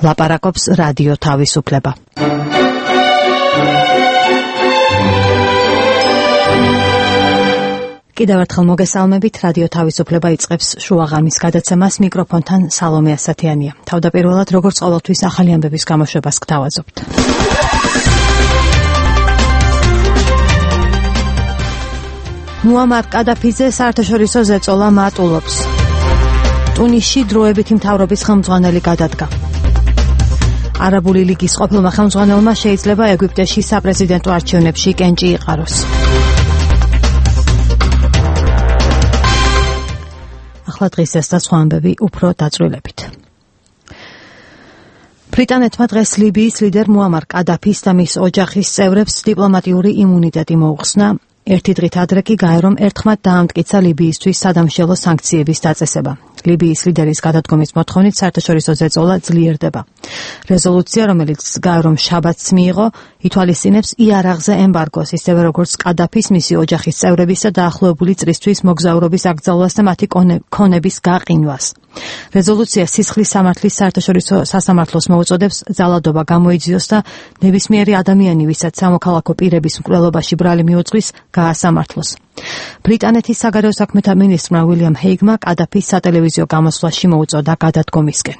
ლაპარაკობს რადიო თავისუფლება. კიდევ ერთხელ მოგესალმებით, რადიო თავისუფლება იწყებს შუაღამის გადაცემას, მიკროფონთან სალომე ასათიანია. თავდაპირველად, როგორც ყოველთვის, ახალი ამბების გამოშვებას გთავაზობთ. მუამარ კადაფიძე საერთაშორისო ზეწოლა მატულობს. ტუნისში დროებითი მთავრობის ხელმძღვანელი გადადგა. არაბული ლიგის ყოფილმა ხელმძღვანელმა შეიძლება ეგვიპტეში საპრეზიდენტო არჩევნებში კენჭი იყაროს. ახლა დღის ეს და სხვა ამბები უფრო დაწვრილებით. ბრიტანეთმა დღეს ლიბიის ლიდერ მუამარ კადაფის და მის ოჯახის წევრებს დიპლომატიური იმუნიტეტი მოუხსნა. ერთი დღით ადრე კი გაერომ ერთხმად დაამტკიცა ლიბიისთვის სადამშელო სანქციების დაწესება. ლიბიის ლიდერის გადადგომის მოთხოვნით საერთაშორისო ზეწოლა ძლიერდება. რეზოლუცია, რომელიც გაერომ შაბათს მიიღო, ითვალისწინებს იარაღზე ემბარგოს, ისევე როგორც კადაფის, მისი ოჯახის წევრების და დაახლოებული წრისთვის მოგზაურობის აკრძალვას და მათი ქონების გაყინვას. რეზოლუცია სისხლის სამართლის საერთაშორისო სასამართლოს მოუწოდებს ძალადობა გამოიძიოს და ნებისმიერი ადამიანი, ვისაც სამოქალაქო პირების მკვლელობაში ბრალი მიუძღვის, გაასამართლოს. ბრიტანეთის საგარეო საქმეთა მინისტრმა უილიამ ჰეიგმა კადაფის სატელევიზიო გამოსვლაში მოუწოდა გადადგომისკენ.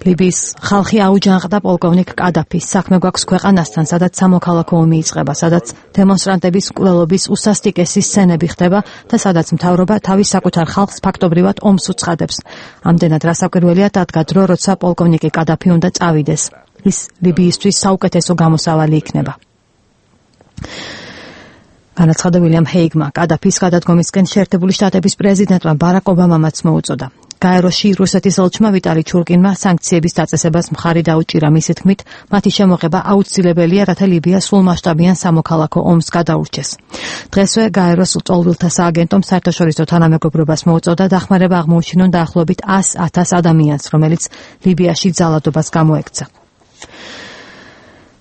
ლიბიის ხალხი აუჯანყდა პოლკოვნიკ კადაფის. საქმე გვაქვს ქვეყანასთან, სადაც სამოქალაქო ომი იწყება, სადაც დემონსტრანტების მკვლელობის უსასტიკესი სცენები ხდება და სადაც მთავრობა თავის საკუთარ ხალხს ფაქტობრივად ომს უცხადებს. ამდენად რასაკვირველია დადგა დრო, როცა პოლკოვნიკი კადაფი უნდა წავიდეს. ის ლიბიისთვის საუკეთესო გამოსავალი იქნება. განაცხადა უილიამ ჰეიგმა. კადაფის გადადგომისკენ შეერთებული შტატების პრეზიდენტმა ბარაკ ობამამაც მოუწოდა. გაეროში რუსეთის ელჩმა ვიტალი ჩურკინმა სანქციების დაწესებას მხარი დაუჭირა, მისი თქმით, მათი შემოღება აუცილებელია, რათა ლიბია სრულმასშტაბიან სამოქალაქო ომს გადაურჩეს. დღესვე გაეროს ლტოლვილთა სააგენტომ საერთაშორისო თანამეგობრობას მოუწოდა დახმარება აღმოუჩინონ დაახლოებით 100,000 ადამიანს, რომელიც ლიბიაში ძალადობას გამოექცა.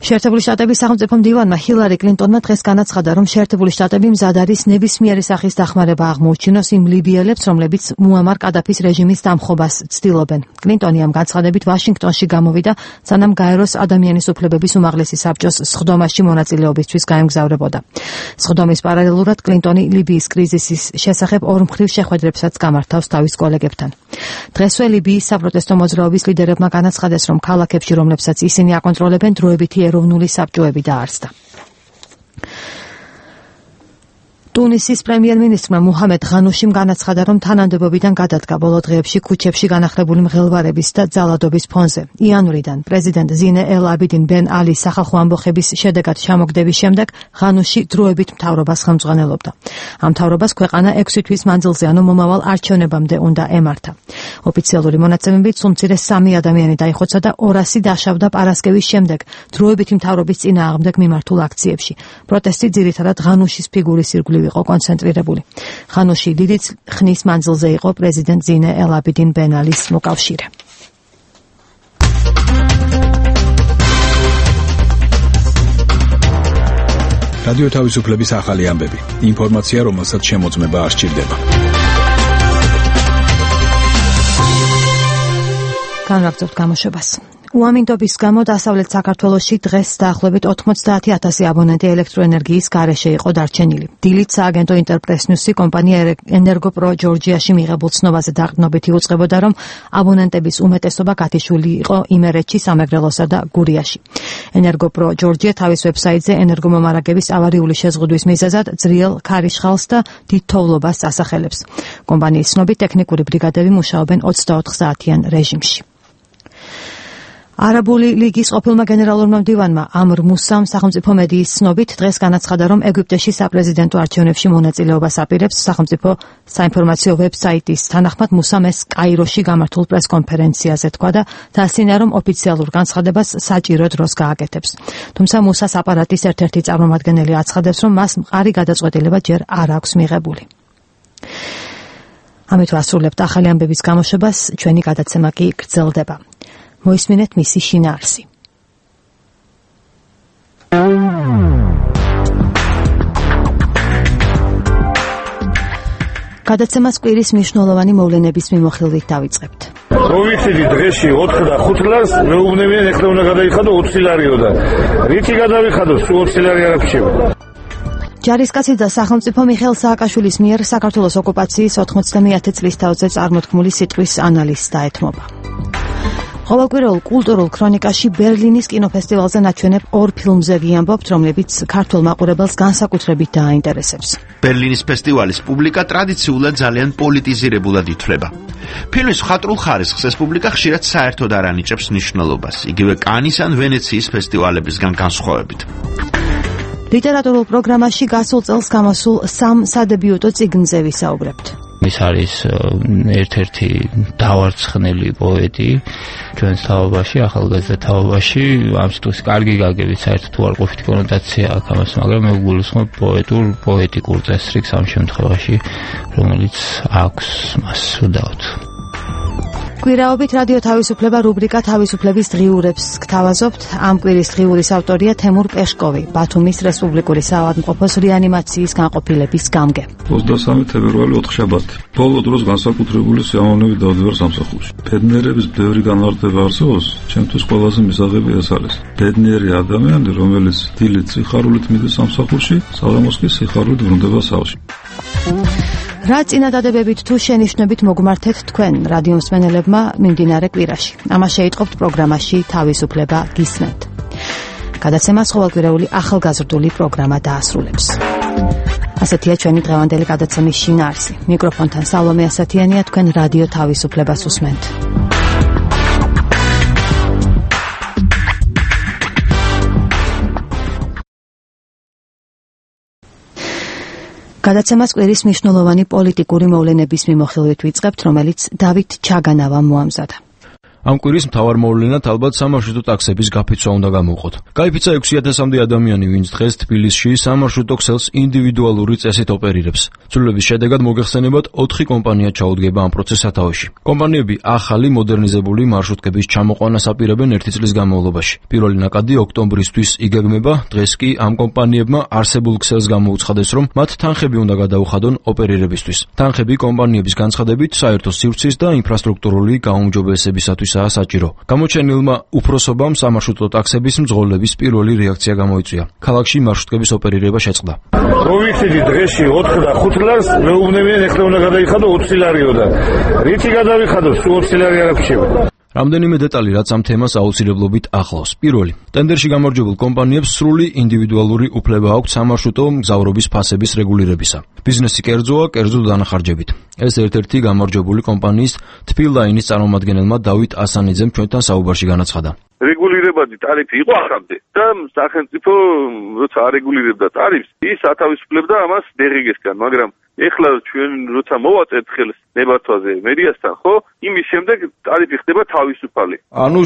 შეერთებული შტატების სახელმწიფო მდივანმა ჰილარი კლინტონმა დღეს განაცხადა, რომ შეერთებული შტატები მზად არის ნებისმიერი სახის დახმარება აღმოუჩინოს იმ ლიბიელებს, რომლებიც მუამარ კადაფის რეჟიმის დამხობას ცდილობენ. კლინტონი ამ განცხადებით ვაშინგტონში გამოვიდა, სანამ გაეროს ადამიანის უფლებების უმაღლესი საბჭოს სხდომაში მონაწილეობისთვის გაემგზავრებოდა. სხდომის პარალელურად კლინტონი ლიბიის კრიზისის შესახებ ორმხრივ შეხვედრებსაც გამართავს თავის კოლეგებთან. დღესვე ლიბიის საპროტესტო მოძრაობის ლიდერებმა განაცხადეს, რომ ქალაქებში, რომლებსაც ისინი აკონტროლებენ, დროებითი ეროვნული საბჭოები დაარსდა. ტუნისის პრემიერ-მინისტრმა მუჰამედ ღანუშიმ განაცხადა, რომ თანამდებობიდან გადადგა ბოლო დღეებში ქუჩებში განახლებული მღელვარების და ძალადობის ფონზე. იანვრიდან პრეზიდენტ ზინე ელ აბიდინ ბენ ალის სახალხო ამბოხების შედეგად ჩამოგდების შემდეგ ღანუში დროებით მთავრობას ხელმძღვანელობდა. ამ მთავრობას ქვეყანა 6 თვის მანძილზე, ანუ მომავალ არჩევნებამდე უნდა ემართა. ოფიციალური მონაცემებით სულ მცირე 3 ადამიანი დაიხოცა და 200 დაშავდა პარასკევის შემდეგ დროებითი მთავრობის წინააღმდეგ მიმართულ აქციებში. პროტესტი ძირითადად ღანუშის ფიგურის ირგვლივ იყო კონცენტრირებული. ღანუში დიდი ხნის მანძილზე იყო პრეზიდენტ ზინე ელ აბიდინ ბენ ალის მოკავშირე. რადიო თავისუფლების ახალი ამბები. ინფორმაცია, რომელსაც შემოწმება არ სჭირდება. განვაგრძობთ გამოშვებას. უამინდობის გამო დასავლეთ საქართველოში დღეს დაახლოებით 90,000 აბონენტი ელექტროენერგიის გარეშე იყო დარჩენილი. დილით სააგენტო ინტერპრესნიუსი კომპანია ენერგოპრო ჯორჯიაში მიღებულ ცნობაზე დაყრდნობით იუწყებოდა, რომ აბონენტების უმეტესობა გათიშული იყო იმერეთში, სამეგრელოსა და გურიაში. ენერგოპრო ჯორჯია თავის ვებსაიტზე ენერგომომარაგების ავარიული შეზღუდვის მიზეზად ძლიერ ქარიშხალს და დიდ თოვლობას ასახელებს. კომპანიის ცნობით ტექნიკური ბრიგადები მუშაობენ 24 საათიან რეჟიმში. არაბული ლიგის ყოფილმა გენერალურმა მდივანმა ამრ მუსამ სახელმწიფო მედიის ცნობით დღეს განაცხადა, რომ ეგვიპტეში საპრეზიდენტო არჩევნებში მონაწილეობას აპირებს. სახელმწიფო საინფორმაციო ვებსაიტის თანახმად მუსამ ეს კაიროში გამართულ პრესკონფერენციაზე თქვა და დასცინა, რომ ოფიციალურ განცხადებას საჭირო დროს გააკეთებს. თუმცა მუსას აპარატის ერთ-ერთი წარმომადგენელი აცხადებს, რომ მას მყარი გადაწყვეტილება ჯერ არ აქვს მიღებული. ამით ვასრულებთ ახალი ამბების გამოშვებას, ჩვენი გადაცემა კი გრძელდება. მოისმინეთ მისი შინაარსი. გადაცემას კვირის მნიშვნელოვანი მოვლენების მიმოხილვით დავიწყებთ. ვიციდი დღეში 4 და 5 ლარს მეუბნებიან ეხლა უნდა გადაიხადო 20 ლარიო და რითი გადავიხადო სულ 20 ლარი არ აქვს. ჯარისკაცი და სახელმწიფო მიხეილ სააკაშვილის მიერ საქართველოს ოკუპაციის 91 წლის თავზე წარმოთქმული სიტყვის ანალიზს დაეთმობა. ყოველკვირეულ კულტურულ ქრონიკაში ბერლინის კინოფესტივალზე ნაჩვენებ 2 ფილმზე ვიამბობთ, რომლებიც ქართულ მაყურებელს განსაკუთრებით დააინტერესებს. ბერლინის ფესტივალის პუბლიკა ტრადიციულად ძალიან პოლიტიზირებულად ითვლება. ფილმის მხატვრულ ხარისხს ეს პუბლიკა ხშირად საერთოდ არ ანიჭებს მნიშვნელობას, იგივე კანის ან ვენეციის ფესტივალებისგან განსხვავებით. ლიტერატურულ პროგრამაში გასულ წელს გამოსულ 3 სადებიუტო წიგნზე ვისაუბრებთ. ის არის ერთ-ერთი დავარცხნელი პოეტი ჩვენს თაობაში, ახალგაზრდა თაობაში. ამ სიტყვის კარგი გაგებით საერთოდ უარყოფითი კონოტაცია აქვს ამას, მაგრამ მე გულისხმობ პოეტიკურ წესრიგს ამ შემთხვევაში, რომელიც აქვს მას უდავთ. კვირაობით რადიო თავისუფლება რუბრიკა თავისუფლების დღიურებს გთავაზობთ. ამ კვირის დღიურის ავტორია თემურ პეშკოვი, ბათუმის რესპუბლიკური საავადმყოფოს რეანიმაციის განყოფილების გამგე. 23 თებერვალი 4 შაბათი. ბოლო დროს განსაკუთრებული სიამოვნებით დავდივარ სამსახურში. ბედნიერების ბევრი განმარტება არსებობს, ჩემთვის ყველაზე მისაღები ეს არის. ბედნიერი ადამიანი, რომელიც დილით სიხარულით მიდის სამსახურში, საღამოს კი სიხარულით ბრუნდება სახლში. რა წინადადებებით თუ შენიშვნებით მოგმართეთ თქვენ რადიო მსმენელებმა მიმდინარე კვირაში. ამას შეიტყობთ პროგრამაში თავისუფლება გისმენთ. გადაცემას ყოველკვირეული ახალგაზრდული პროგრამა დაასრულებს. ასეთია ჩვენი დღევანდელი გადაცემის შინაარსი. მიკროფონთან სალომე ასათიანია, თქვენ რადიო თავისუფლებას უსმენთ. გადაცემას კვირის მნიშვნელოვანი პოლიტიკური მოვლენების მიმოხილვით ვიწყებთ, რომელიც დავით ჩაგანავამ მოამზადა. ამ კვირის მთავარ მოვლენად ალბათ სამარშრუტო ტაქსების გაფიცვა უნდა გამოვყოთ. გაიფიცა 6000-მდე ადამიანი, ვინც დღეს თბილისში სამარშრუტო ქსელს ინდივიდუალური წესით ოპერირებს. ცვლილების შედეგად მოგეხსენებათ 4 კომპანია ჩაუდგება ამ პროცესს სათავეში. კომპანიები ახალი მოდერნიზებული მარშრუტკების ჩამოყვანას აპირებენ 1 წლის განმავლობაში. პირველი ნაკადი ოქტომბრისთვის იგეგმება. დღეს კი ამ კომპანიებმა არსებულ ქსელს გამოუცხადეს, რომ მათ თანხები უნდა გადაუხადონ ოპერირებისთვის. თანხები კომპანიების განცხადებით საერთო სივრცის და ინფრასტრუქტურული გაუმჯობესებისათვის საჭირო. გამოჩენილმა უფროსობამ სამარშრუტო ტაქსების მძღოლების პირველი რეაქცია გამოიწვია. ქალაქში მარშრუტკების ოპერირება შეწყდა. ვიციდი დღეში 4 და 5 ლარს მეუბნებიან ეხლა უნდა გადაიხადო 20 ლარიო და რითი გადავიხადო სულ 20 ლარი არ აქვს. რამდენიმე დეტალი, რაც ამ თემას აუცილებლობით ახლავს. პირველი, ტენდერში გამარჯვებულ კომპანიებს სრული ინდივიდუალური უფლება აქვთ სამარშრუტო მგზავრობის ფასების რეგულირებისა. ბიზნესი კერძოა, კერძო დანახარჯებით. ეს ერთ-ერთი გამარჯვებული კომპანიის თბილაინის წარმომადგენელმა დავით ასანიძემ ჩვენთან საუბარში განაცხადა. რეგულირებადი ტარიფი იყო ახამდე და სახელმწიფო როცა არეგულირებდა ტარიფს, ის ათავისუფლებდა ამას დერეგესგან, მაგრამ ეხლა ჩვენ როცა მოვაწევთ ხელს ნებართვაზე მერიასთან, ხო, იმის შემდეგ ტარიფი ხდება თავისუფალი. ანუ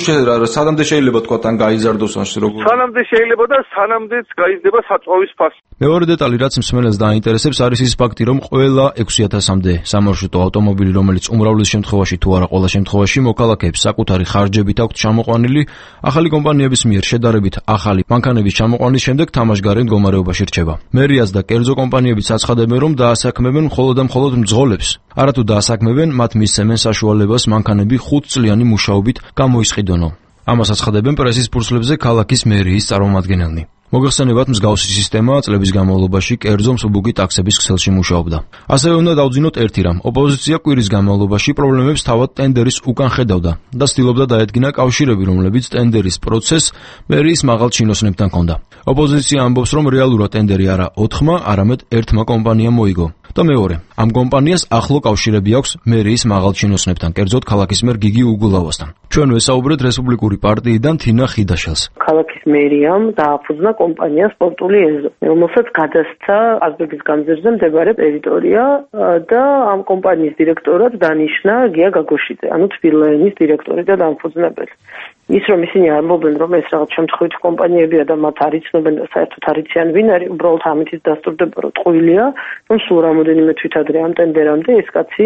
სანამდე შეიძლება თქვა თან გაიზარდოს ან როგორ? სანამდე შეიძლება და სანამდეც გაიზრდება საწვავის ფასი. მეორე დეტალი, რაც მსმენელს დაინტერესებს, არის ის ფაქტი, რომ ყველა 6000-მდე სამარშრუტო ავტომობილი, რომელიც უმრავლეს შემთხვევაში თუ არა ყველა შემთხვევაში მოქალაქეებს საკუთარი ხარჯებით აქვთ ჩამოყვანილი, ახალი კომპანიების მიერ შედარებით ახალი მანქანების ჩამოყვანის შემდეგ თამაშგარე მდგომარეობაში რჩება. მერიას და კერძო კომპანიებიც აცხადებენ, რომ დაასაქმებენ მხოლოდ და მხოლოდ მძღოლებს. არათუ დაასაქმებენ, მათ მისცემენ საშუალებას მანქანები 5 წლიანი მუშაობით გამოისყიდონო. ამას აცხადებენ პრესის ფურცლებზე ქალაქის მერიის წარმომადგენელნი. მოგეხსენებათ, მსგავსი სისტემა წლების განმავლობაში კერძო მსუბუქი ტაქსების ქსელში მუშაობდა. ასევე უნდა დავძინოთ ერთი რამ. ოპოზიცია კვირის განმავლობაში პრობლემებს თავად ტენდერის უკან ხედავდა და ცდილობდა დაედგინა კავშირები, რომლებიც ტენდერის პროცესს მერიის მაღალ ჩინოსნებთან ჰქონდა. ოპოზიცია ამბობს, რომ რეალურად ტენდერი არა 4-მა, არამედ 1-მა კომპანიამ მოიგო. და მეორე, ამ კომპანიას ახლო კავშირები აქვს მერიის მაღალ ჩინოსნებთან, კერძოდ ქალაქის მერ გიგი უგულავასთან. ჩვენ ვესაუბრეთ რესპუბლიკური პარტიიდან თინა ხიდაშელს. ქალაქის მერიამ დააფუძნა კომპანია სპორტული ეზო, რომელსაც გადასცა ყაზბეგის განძერზე მდებარე ტერიტორია და ამ კომპანიის დირექტორად დანიშნა გია გაგოშიძე, ანუ თბილაინის დირექტორი და დამფუძნებელი. ის რომ ისინი ამბობენ, რომ ეს რაღაც შემთხვევითი კომპანიებია და მათ არ იცნობენ და საერთოდ არ იციან ვინ არის, უბრალოდ ამით დასტურდება, რომ ტყუილია, რომ სულ რამოდენიმე თვითადრე ამ ტენდერამდე ეს კაცი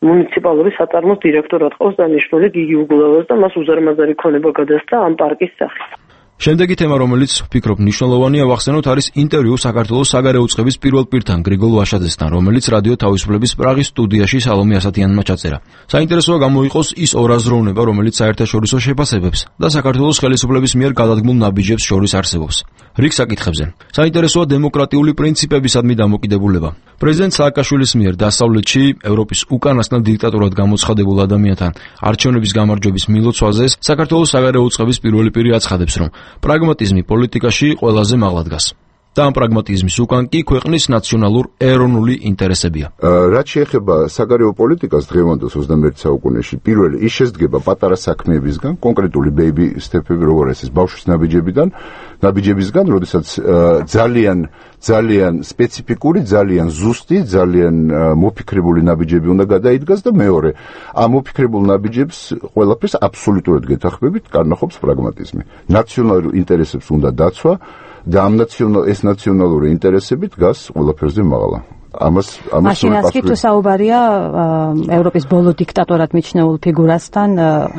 მუნიციპალური საწარმოს დირექტორად ყავს დანიშნული გიგი უგულავას და მას უზარმაზარი ქონება გადასცა ამ პარკის სახით. შემდეგი თემა, რომელიც ვფიქრობ მნიშვნელოვანია, ვახსენოთ, არის ინტერვიუ საქართველოს საგარეო უწყების პირველ პირთან, გრიგოლ ვაშაძესთან, რომელიც რადიო თავისუფლების პრაღის სტუდიაში სალომე ასათიანმა ჩაწერა. საინტერესოა გამოიყოს ის ორაზროვნება, რომელიც საერთაშორისო შეფასებებს და საქართველოს ხელისუფლების მიერ გადადგმულ ნაბიჯებს შორის არსებობს. რიგ საკითხებზე. საინტერესოა დემოკრატიული პრინციპებისადმი დამოკიდებულება. პრეზიდენტ სააკაშვილის მიერ დასავლეთში ევროპის უკანასკნელ დიქტატურად გამოცხადებულ ადამიანთან არჩევნების გამარჯვების მილოცვაზე საქართველოს საგარეო უწყების პირველი პირი აცხადებს, რომ პრაგმატიზმი პოლიტიკაში ყველაზე მაღლა დგას. და ამ პრაგმატიზმის უკან კი ქვეყნის ნაციონალურ ეროვნული ინტერესებია. რაც შეეხება საგარეო პოლიტიკას დღევანდელ 21 საუკუნეში, პირველი ის შესდგება პატარა საქმეებისგან, კონკრეტული ბეიბი სტეპები, როგორ ეს ბავშვის ნაბიჯებისგან, როდესაც ძალიან სპეციფიკური, ძალიან ზუსტი, ძალიან მოფიქრებული ნაბიჯები უნდა გადაიდგას და მეორე, ამ მოფიქრებულ ნაბიჯებს ყველაფერს აბსოლუტურად გეთანხმებით კარნახობს პრაგმატიზმი. ნაციონალურ ინტერესებს უნდა დაცვა და ეს ნაციონალური ინტერესები დგას ყველაფერზე მაღლა. მაშინ ასკი თუ საუბარია ევროპის ბოლო დიქტატორად მიჩნეულ ფიგურასთან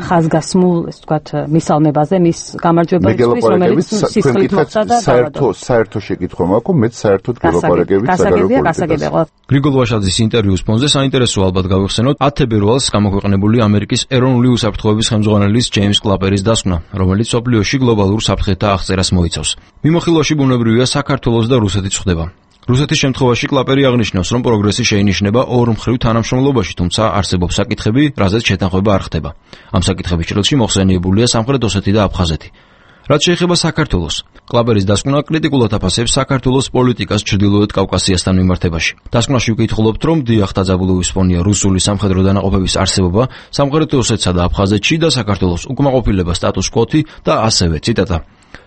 ხაზგასმულ, ესე ვთქვათ, მისალმებაზე, მის გამარჯვებისთვის, რომელიც სისხლით მოხდა და საერთო შეკითხვა მაქვს, მეც საერთოდ გელაპარაკებით საგარეო პოლიტიკაზე. გრიგოლ ვაშაძის ინტერვიუს ფონზე საინტერესო ალბათ გავიხსენოთ 10 თებერვალს გამოქვეყნებული ამერიკის ეროვნული უსაფრთხოების ხელმძღვანელის ჯეიმს კლაპერის დასკვნა, რომელიც მსოფლიოში გლობალურ საფრთხეთა აღწერას მოიცავს. მიმოხილვაში ბუნებრივია საქართველოს და რუსეთის ხდება. რუსეთის შემთხვევაში კლაპერი აღნიშნავს, რომ პროგრესი შეინიშნება ორ მხრივ თანამშრომლობაში, თუმცა არსებობს საკითხები, რაზეც შეთანხმება არ ხდება. ამ საკითხების ჭრილში მოხსენიებულია სამხრეთ ოსეთი და აფხაზეთი. რაც შეეხება საქართველოს, კლაპერის დასკვნა კრიტიკულად აფასებს საქართველოს პოლიტიკას ჩრდილოეთ კავკასიასთან მიმართებაში. დასკვნაში ვკითხულობთ, რომ დიახ, დაძაბულობის ფონია რუსული სამხედრო დანაყოფების არსებობა სამხრეთ ოსეთსა და აფხაზეთში და საქართველოს უკმაყოფილება სტატუს კვოთი და ასევე ციტატა.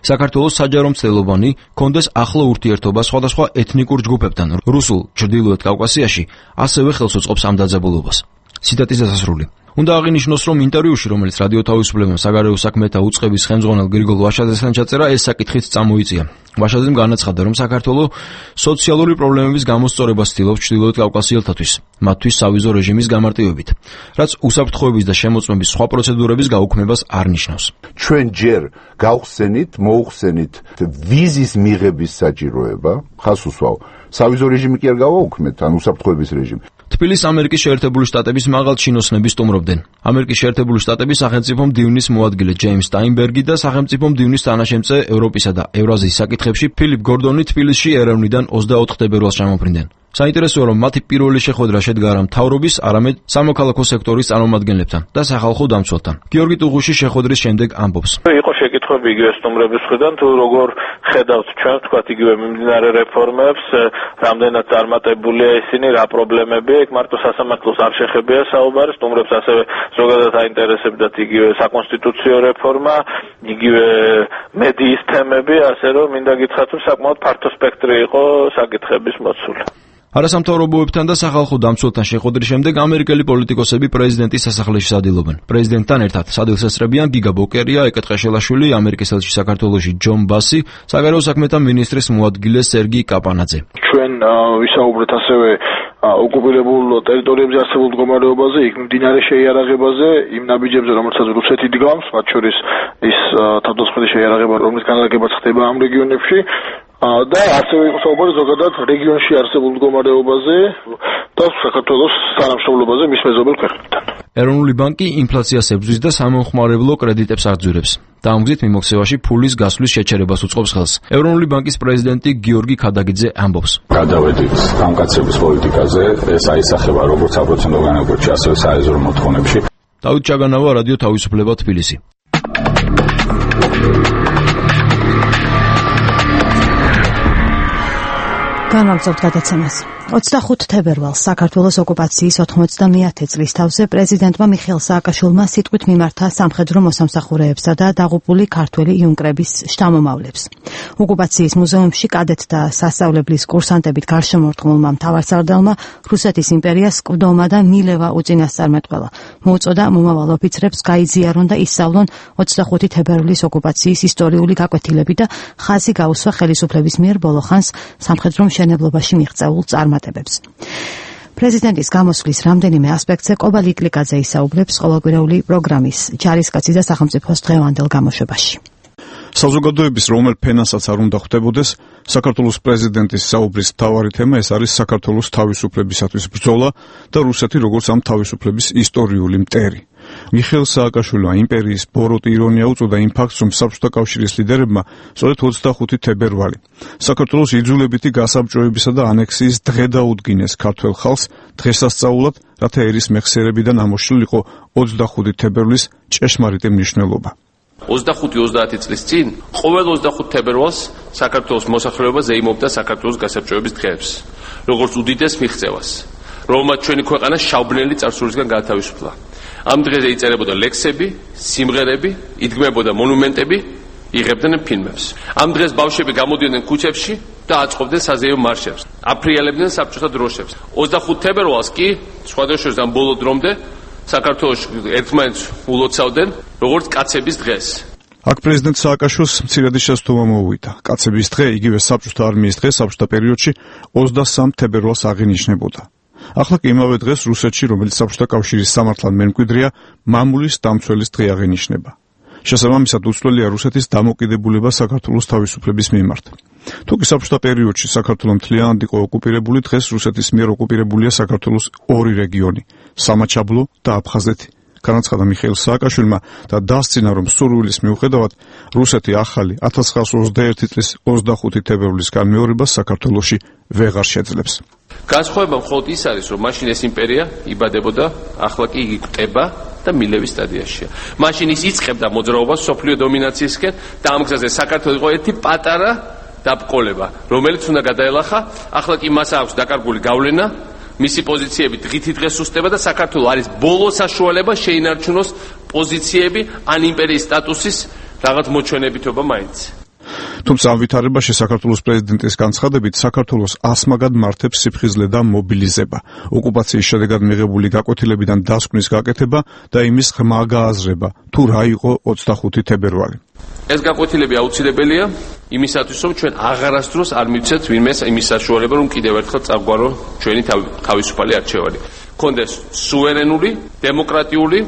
საქართველოს საჯარო მცდელობანი კონდეს ახლო ურთიერთობა სხვადასხვა ეთნიკურ ჯგუფებთან რუსულ ჩრდილოეთ კავკასიაში, ასევე ხელს უწყობს ამ დაძაბულობას. ციტატის დასასრული. უნდა აღინიშნოს, რომ ინტერვიუში, რომელიც რადიო თავისუფლებამ საგარეო საქმეთა უწყების ხელმძღვანელ გრიგოლ ვაშაძესთან ჩაწერა, ეს საკითხიც წამოიწია. ვაშაძემ განაცხადა, რომ საქართველოს სოციალური პრობლემების გამოსწორებას ცდილობს ჩრდილოეთ კავკასიელთათვის, მათთვის სავიზო რეჟიმის გამარტივებით, რაც უსაფრთხოების და შემოწმების სხვა პროცედურების გაუქმებას არ ნიშნავს. ჩვენ ჯერ მოუხსენით ვიზის მიღების საჭიროება, ხას უსვავ. სავიზო რეჟიმი კი არ გავაუქმეთ, ან უსაფრთხოების რეჟიმი. თბილისს ამერიკის შეერთებული შტატების მაღალჩინოსნები სტუმრობდნენ. ამერიკის შეერთებული შტატების სახელმწიფო მდივნის მოადგილე ჯეიმს სტაინბერგი და სახელმწიფო მდივნის თანაშემწე ევროპისა და ევრაზიის საკითხებში ფილიპ გორდონი თბილისში ერევნიდან 24 თებერვალს ჩამოფრინდნენ. საინტერესოა, რომ მათი პირველი შეხვედრა შედგა არა მთავრობის, არამედ სამოქალაქო სექტორის წარმომადგენლებთან და სახალხო დამცველთან. გიორგი ტუღუში შეხვედრის შემდეგ ამბობს. იყო შეკითხვები იგივე სტუმრების მხრიდან, თუ როგორ ხედავთ ჩვენ, თქვათ, იგივე მიმდინარე რეფორმებს, რამდენად წარმატებულია ისინი, რა პრობლემებია, იქ მარტო სასამართლოს არ შეხებია საუბარი, სტუმრებს ასევე ზოგადად აინტერესებდათ იგივე საკონსტიტუციო რეფორმა, იგივე მედიის თემები, ასე რომ მინდა გითხრათ, რომ საკმაოდ ფართო სპექტრი იყო საკითხების მოცული. არასამთავრობოებთან და სახალხო დამცველთან შეხვედრის შემდეგ ამერიკელი პოლიტიკოსები პრეზიდენტის სასახლეში სადილობენ. პრეზიდენტთან ერთად სადილს ესწრებიან გიგა ბოკერია, ეკეტრაშელაშვილი, ამერიკის ელჩი საქართველოში ჯონ ბასი, საგარეო საქმეთა მინისტრის მოადგილე სერგი კაპანაძე. ჩვენ ვისაუბრეთ ასევე ოკუპირებულ ტერიტორიებზე არსებულ მდგომარეობაზე, იქ მდინარე შეიარაღებაზე, იმ ნაბიჯებზე, რომელსაც რუსეთი დგამს, მათ შორის ის თავდასხმელი შეიარაღება, რომლის განლაგებაც ხდება ამ რეგიონებში. და ასევე იყო საუბარი ზოგადად რეგიონში არსებულ მდგომარეობაზე და საქართველოს თანამშრომლობაზე მის მეზობელ ქვეყნებთან. ეროვნული ბანკი ინფლაციას ებრძვის და სამომხმარებლო კრედიტებს აღძვირებს. დაამგზით მიმოქცევაში ფულის გასვლის შეჩერებას უწყობს ხელს. ეროვნული ბანკის პრეზიდენტი გიორგი ქადაგიძე ამბობს. გადავედით გამკაცრების პოლიტიკაზე, ეს აისახება როგორც აპროცენტო განაკვეთში, ასევე საეზრო მოთხოვნებში. დავით ჩაგანავა, რადიო თავისუფლება, თბილისი. განვაგრძობთ გადაცემას. 25 თებერვალს საქართველოს ოკუპაციის 91 წლის თავზე პრეზიდენტმა მიხეილ სააკაშვილმა სიტყვით მიმართა სამხედრო მოსამსახურეებსა და დაღუპული ქართველი იუნკრების შთამომავლებს. ოკუპაციის მუზეუმში კადეტთა სასწავლებლის კურსანტებით გარშემორტყმულმა მთავარსარდალმა რუსეთის იმპერიას სკვდომა და მილევა უწინასწარმეტყველა. მოუწოდა მომავალ ოფიცრებს გაიზიარონ და ისწავლონ 25 თებერვლის ოკუპაციის ისტორიული გაკვეთილები და ხაზი გაუსვა ხელისუფლების მიერ ბოლოხანს სამხედრო მშენებლობაში მიღწეულ წარმატებებს. პრეზიდენტის გამოსვლის რამდენიმე ასპექტზე კობა ლიკლიკაძე ისაუბრებს ყოველკვირეული პროგრამის ჯარისკაცი და სახელმწიფოს დღევანდელ გამოშვებაში. საზოგადოების რომელ ფენასაც არ უნდა ხვდებოდეს, საქართველოს პრეზიდენტის საუბრის მთავარი თემა ეს არის საქართველოს თავისუფლებისათვის ბრძოლა და რუსეთი როგორც ამ თავისუფლების ისტორიული მტერი. მიხეილ სააკაშვილმა იმპერიის ბოროტი ირონია უწოდა იმ ფაქტს, რომ საბჭოთა კავშირის ლიდერებმა სწორედ 25 თებერვალი საქართველოს იძულებითი გასაბჭოებისა და ანექსიის დღე დაუდგინეს ქართველ ხალხს დღესასწაულად, რათა ერის მეხსიერებიდან ამოშლილიყო 25 თებერვლის ჭეშმარიტი მნიშვნელობა. 25-30 წლის წინ ყოველ 25 თებერვალს საქართველოს მოსახლეობა ზეიმობდა საქართველოს გასაბჭოების დღეებს, როგორც უდიდეს მიღწევას, რომელმაც ჩვენი ქვეყანა შავბნელი წარსულისგან გაათავისუფლა. ამ დღეზე იწერებოდა ლექსები, სიმღერები, იდგმებოდა მონუმენტები, იღებდნენ ფილმებს. ამ დღეს ბავშვები გამოდიოდნენ ქუჩებში და აწყობდნენ საზეიმო მარშებს, აფრიალებდნენ საბჭოთა დროშებს. 25 თებერვალს კი სხვადასხვა ამ ბოლო დრომდე საქართველოს ერთმანეთს ულოცავდნენ როგორც კაცების დღეს. აქ პრეზიდენტ სააკაშვილს მცირედი შესწავლა მოუვიდა. კაცების დღე, იგივე საბჭოთა არმიის დღე საბჭოთა პერიოდში 23 თებერვალს აღინიშნებოდა. ახლა კი იმავე დღეს რუსეთში, რომელიც საბჭოთა კავშირის სამართლად მემკვიდრეა, მამულის დამცველის დღე აღინიშნება. შესაბამისად უცვლელია რუსეთის დამოკიდებულება საქართველოს თავისუფლების მიმართ. თუკი საბჭოთა პერიოდში საქართველო მთლიანად იყო ოკუპირებული, დღეს რუსეთის მიერ ოკუპირებულია საქართველოს ორი რეგიონი, სამაჩაბლო და აფხაზეთი. განაცხადა მიხეილ სააკაშვილმა და დასცინა, რომ სურვილის მიუხედავად რუსეთი ახალი 1921 წლის 25 თებერვლის განმეორებას საქართველოში ვეღარ შეძლებს. განსხვავება მხოლოდ ის არის, რომ მაშინ ეს იმპერია იბადებოდა, ახლა კი იგი კვდება და მილევის სტადიაშია. მაშინ ის იწყებდა მოძრაობას სოფლიო დომინაციისკენ და ამ გზაზე საქართველოს იყო ერთი პატარა დაბკოლება, რომელიც უნდა გადაელახა. ახლა კი მას აქვს დაკარგული გავლენა, მისი პოზიციები დღითი დღეს სუსტება და საქართველოს არის ბოლო საშუალება შეინარჩუნოს პოზიციები ან იმპერიის სტატუსის რაღაც მოჩვენებითობა მაინც. თუმცა ამ ვითარებაში საქართველოს პრეზიდენტის განცხადებით საქართველოს ასმაგად მართებს სიფხიზლე და მობილიზება, ოკუპაციის შედეგად მიღებული გაკვეთილებიდან დასკვნის გაკეთება და იმის ღრმა გააზრება, თუ რა იყო 25 თებერვალი. ეს გაკვეთილები აუცილებელია იმისათვის, რომ ჩვენ აღარასდროს არ მივცეთ ვინმეს იმის საშუალება, რომ კიდევ ერთხელ წაგვარო ჩვენი თავისუფალი არჩევანი. გქონდეს სუვერენული, დემოკრატიული,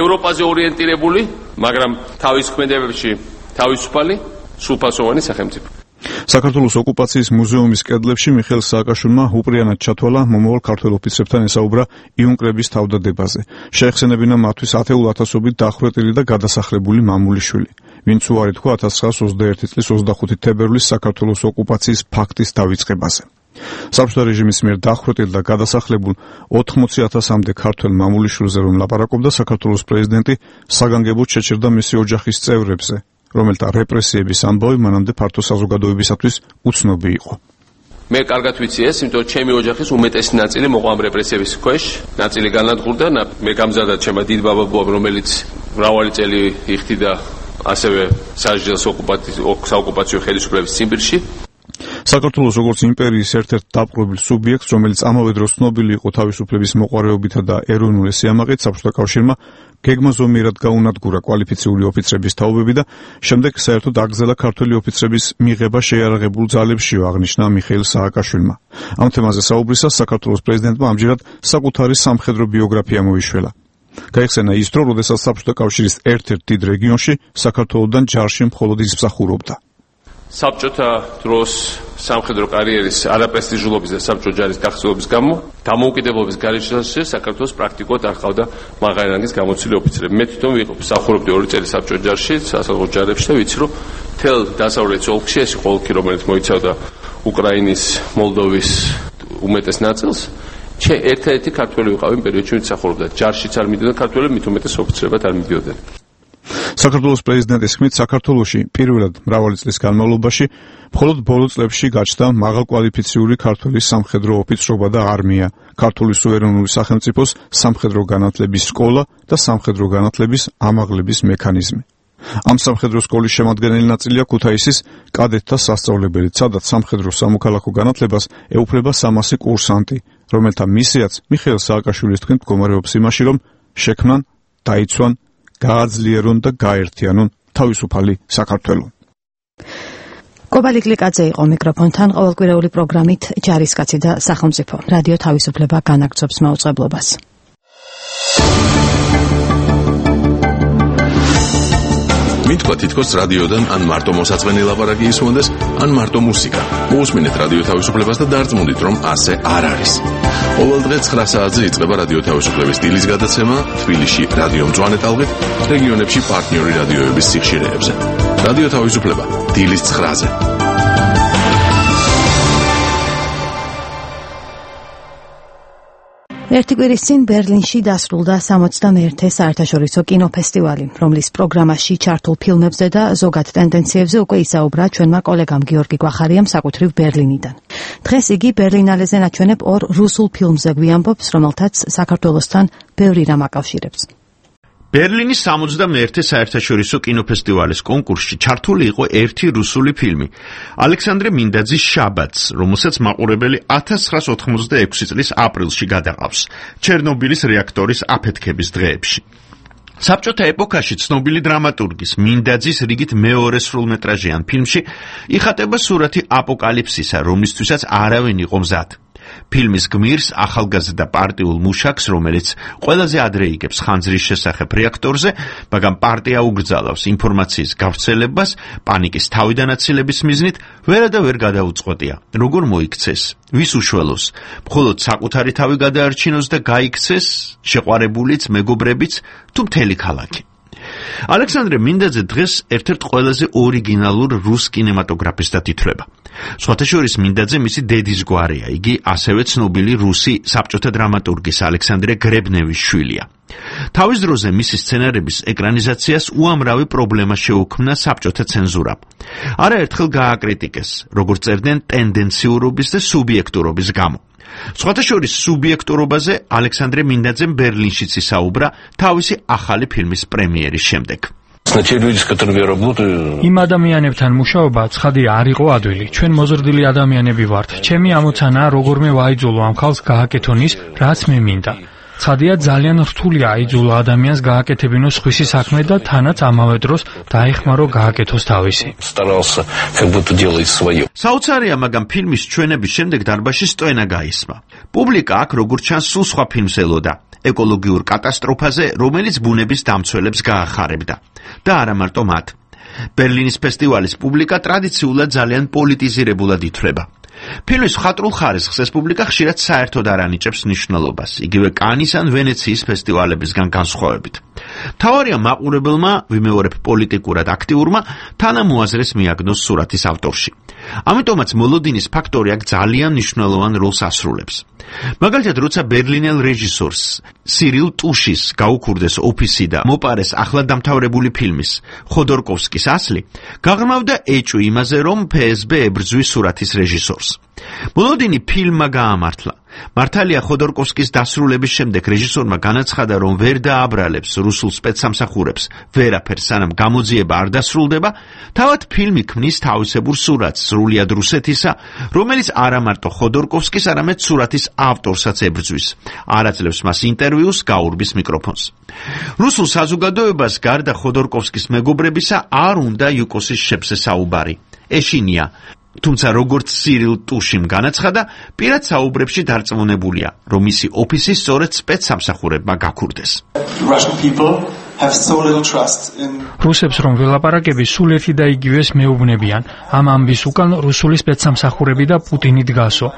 ევროპაზე ორიენტირებული, მაგრამ თავის ქმედებებში თავისუფალი სრულფასოვანი სახელმწიფო. საქართველოს ოკუპაციის მუზეუმის კედლებში მიხეილ სააკაშვილმა უპრიანად ჩათვალა მომავალ ქართველ ოფიცრებთან ესაუბრა იუნკრების თავდადებაზე. შეეხსენებინა მათთვის ათეულ ათასობით დახვრეტილი და გადასახლებული მამულიშვილი, ვინც უარი თქვა 1921 წლის 25 თებერვლის საქართველოს ოკუპაციის ფაქტის დავიწყებაზე. საბჭოთა რეჟიმის მიერ დახვრეტილ და გადასახლებულ 80,000-მდე ქართველ მამულიშვილზე რომ ლაპარაკობდა, საქართველოს პრეზიდენტი საგანგებოდ შეჭერდა მისი ოჯახის წევრებზე, რომელთა რეპრესიების ამბავი მანამდე ფართო საზოგადოებისათვის უცნობი იყო. მე კარგად ვიცი ეს, იმიტომ რომ ჩემი ოჯახის უმეტესი ნაწილი მოყვა ამ რეპრესიების ქვეშ, ნაწილი განადგურდა, მე გამზადდა ჩემმა დიდ ბაბაბუამ, რომელიც მრავალი წელი იხდიდა ასევე სასჯელს საოკუპაციო ხელისუფლების ციმბირში. საქართველოს როგორც იმპერიის ერთ-ერთ დაპყრობილ სუბიექტს, რომელიც ამავე დროს ცნობილი იყო თავისუფლების მოყვარეობითა და ეროვნული სიამაყით, საბჭოთა კავშირმა გეგმა ზომიერად გაუნადგურა კვალიფიციური ოფიცრების თაობები და შემდეგ საერთოდ აგზელა ქართველი ოფიცრების მიღება შეიარაღებულ ძალებშიო, აღნიშნა მიხეილ სააკაშვილმა. ამ თემაზე საუბრისას საქართველოს პრეზიდენტმა ამჯერად საკუთარი სამხედრო ბიოგრაფია მოიშველა. გაიხსენა ის დრო, როდესაც საბჭოთა კავშირის ერთ-ერთ დიდ რეგიონში საქართველოსთან ჯარში მხოლოდ ის მსახურობდა. საბჭოთა დროს სამხედრო კარიერის არაპრესტიჟულობის და საბჭოთა ჯარის დახსოვების გამო დამოუკიდებლობის გარეშეში საქართველოს პრაქტიკულად არ ყავდა მაღალი რანგის გამოცილი ოფიცრები. მე თვითონ მსახურობდი 2 წელი საბჭოთა ჯარში, სასაზღვრო ჯარებში და ვიცი, რომ თელ დასავლეთ ოლქში ეს იყო ოლქი, რომელიც მოიცავდა უკრაინის, მოლდოვის უმეტეს ნაწილს. ერთ-ერთი ქართველი ვიყავი იმ პერიოდში, ვინც მსახურობდა ჯარშიც არ მიდიოდა ქართველები, მით უმეტეს ოფიცრებად არ მიდიოდნენ. საქართველოს პრეზიდენტის ხმით საქართველოში პირველად მრავალი წლის განმავლობაში მხოლოდ ბოლო წლებში გაჩნდა მაღალკვალიფიციური ქართული სამხედრო ოფიცრობა და არმია, ქართული სუვერენული სახელმწიფოს სამხედრო განათლების სკოლა და სამხედრო განათლების ამაღლების მექანიზმი. ამ სამხედრო სკოლის შემადგენელი ნაწილია ქუთაისის კადეტთა სასწავლებელი, სადაც სამხედრო სამოქალაქო განათლებას ეუფლება 300 კურსანტი, რომელთა მისიაც მიხეილ სააკაშვილის თქმით მდგომარეობს იმაში, რომ შექმნან, დაიცვან, გააძლიერონ და გაერთიანონ თავისუფალი საქართველო. კობალი კლიკაძე იყო მიკროფონთან, ყოველკვირეული პროგრამით ჯარისკაცი და სახელმწიფო. რადიო თავისუფლება განაგრძობს მაუწყებლობას. მითქვა თითქოს რადიოდან ან მარტო მოსაწყენი ლაპარაკი ისმონდეს, ან მარტო მუსიკა. მოусმინეთ რადიო თავისუფლებას და დარწმუნდით, რომ ასე არ არის. ყოველ დღე 9 საათზე იწყება რადიო თავისუფლების დილის გადაცემა თბილისში რადიო მწვანე ტალღით, რეგიონებში პარტნიორი რადიოების სიხშირეებზე. რადიო თავისუფლება დილის 9-ზე. ერთი კვირის წინ ბერლინში დასრულდა 61-ე საერთაშორისო კინოფესტივალი, რომლის პროგრამაში ჩართულ ფილმებზე და ზოგად ტენდენციებზე უკვე ისაუბრა ჩვენმა კოლეგამ გიორგი გვახარიამ საკუთრივ ბერლინიდან. დღეს იგი ბერლინალეზე ნაჩვენებ 2 რუსულ ფილმზე გვიამბობს, რომელთაც საქართველოსთან ბევრი რამ აკავშირებს. ბერლინის 61-ე საერთაშორისო კინოფესტივალის კონკურსში ჩართული იყო ერთი რუსული ფილმი, ალექსანდრე მინდაძის შაბათს, რომელსაც მაყურებელი 1986 წლის აპრილში გადაყავს, ჩერნობილის რეაქტორის აფეთქების დღეებში. საბჭოთა ეპოქაში ცნობილი დრამატურგის მინდაძის რიგით მეორე სრულმეტრაჟიან ფილმში იხატება სურათი აპოკალიფსისა, რომლისთვისაც არავინ იყო მზად. ფილმის გმირს ახალგაზრდა პარტიულ მუშაკს, რომელიც ყველაზე ადრე იგებს ხანძრის შესახებ რეაქტორზე, მაგრამ პარტია ugრძალავს ინფორმაციის გავრცელებას, პანიკის თავიდანაცილების მიზნით, ვერა და ვერ გადაუწყვეტია, როგორ მოიქცეს, ვის უშველოს, მხოლოდ საკუთარი თავი გადაარჩინოს და გაიქცეს, შეყვარებულიც, მეგობრებიც, თუ მთელი ქალაქი. ალექსანდრე მინდაძე დღეს ერთ-ერთ ყველაზე ორიგინალურ რუს კინემატოგრაფისტად ითვლება. სხვათა შორის მინდაძე მისი დედის გვარია, იგი ასევე ცნობილი რუსი საბჭოთა დრამატურგის ალექსანდრე გრებნევის შვილია. თავის დროზე მისი სცენარების ეკრანიზაციას უამრავი პრობლემა შეუქმნა საბჭოთა ცენზურამ. არაერთხელ გააკრიტიკეს, როგორც წერდნენ ტენდენციურობის და სუბიექტურობის გამო. სხვათა შორის სუბიექტურობაზე ალექსანდრე მინდაძემ ბერლინშიც ისაუბრა თავისი ახალი ფილმის პრემიერის შემდეგ. იმ ადამიანებთან მუშაობა ცხადია არ იყო ადვილი. ჩვენ მოზრდილი ადამიანები ვართ. ჩემი ამოცანაა როგორმე ვაიძულო ამ ხალხს გააკეთონის, რაც მე მინდა. ცხადია ძალიან რთულია აიძულო ადამიანს გააკეთებინოს სხვისი საქმე და თანაც ამავე დროს დაეხმარო გააკეთოს თავისი. საოცარია, მაგრამ ფილმის ჩვენების შემდეგ დარბაზში სტოენა გაისმა. პუბლიკა აქ როგორც ჩანს სულ სხვა ფილმს ელოდა, ეკოლოგიურ კატასტროფაზე, რომელიც ბუნების დამცველებს გაახარებდა. და არა მარტო მათ. ბერლინის ფესტივალის პუბლიკა ტრადიციულად ძალიან პოლიტიზირებულად ითვლება. ფილმის მხატვრულ ხარისხს ეს პუბლიკა ხშირად საერთოდ არ ანიჭებს მნიშვნელობას, იგივე კანის ან ვენეციის ფესტივალებისგან განსხვავებით. მთავარია მაყურებელმა, ვიმეორებ პოლიტიკურად აქტიურმა, თანამოაზრეს მიაგნოს სურათის ავტორში. ამიტომაც მოლოდინის ფაქტორი აქ ძალიან მნიშვნელოვან როლს ასრულებს. მაგალითად, როცა ბერლინელ რეჟისორს სირილ ტუშის გაუქურდეს ოფისი და მოპარეს ახლა დამთავრებული ფილმის ხოდორკოვსკის ასლი, გაღრმავდა ეჭვი იმაზე, რომ ფსბ ებრძვის სურათის რეჟისორს. მოლოდინი ფილმმა გაამართლა. მართალია ხოდორკოვსკის დასრულების შემდეგ რეჟისორმა განაცხადა, რომ ვერ დააბრალებს რუსულ სპეცსამსახურებს ვერაფერს, სანამ გამოძიება არ დასრულდება, თავად ფილმი ქმნის თავისებურ სურათს სრულიად რუსეთისა, რომელიც არა მარტო ხოდორკოვსკის, არამედ სურათის ავტორსაც ებრძვის. არ აძლევს მას ინტერვიუს, გაურბის მიკროფონს. რუსულ საზოგადოებას გარდა ხოდორკოვსკის მეგობრებისა არ უნდა იუკოსის შეფზე საუბარი. ეშინია. თუმცა როგორც სირილ ტუშიმ განაცხადა, პირად საუბრებში დარწმუნებულია, რომ მისი ოფისი სწორედ სპეცსამსახურებმა გაქურდეს. რუსებს რომ ველაპარაკები სულ ერთი და იგივეს მეუბნებიან. ამ ამბის უკან რუსული სპეცსამსახურები და პუტინი დგასო.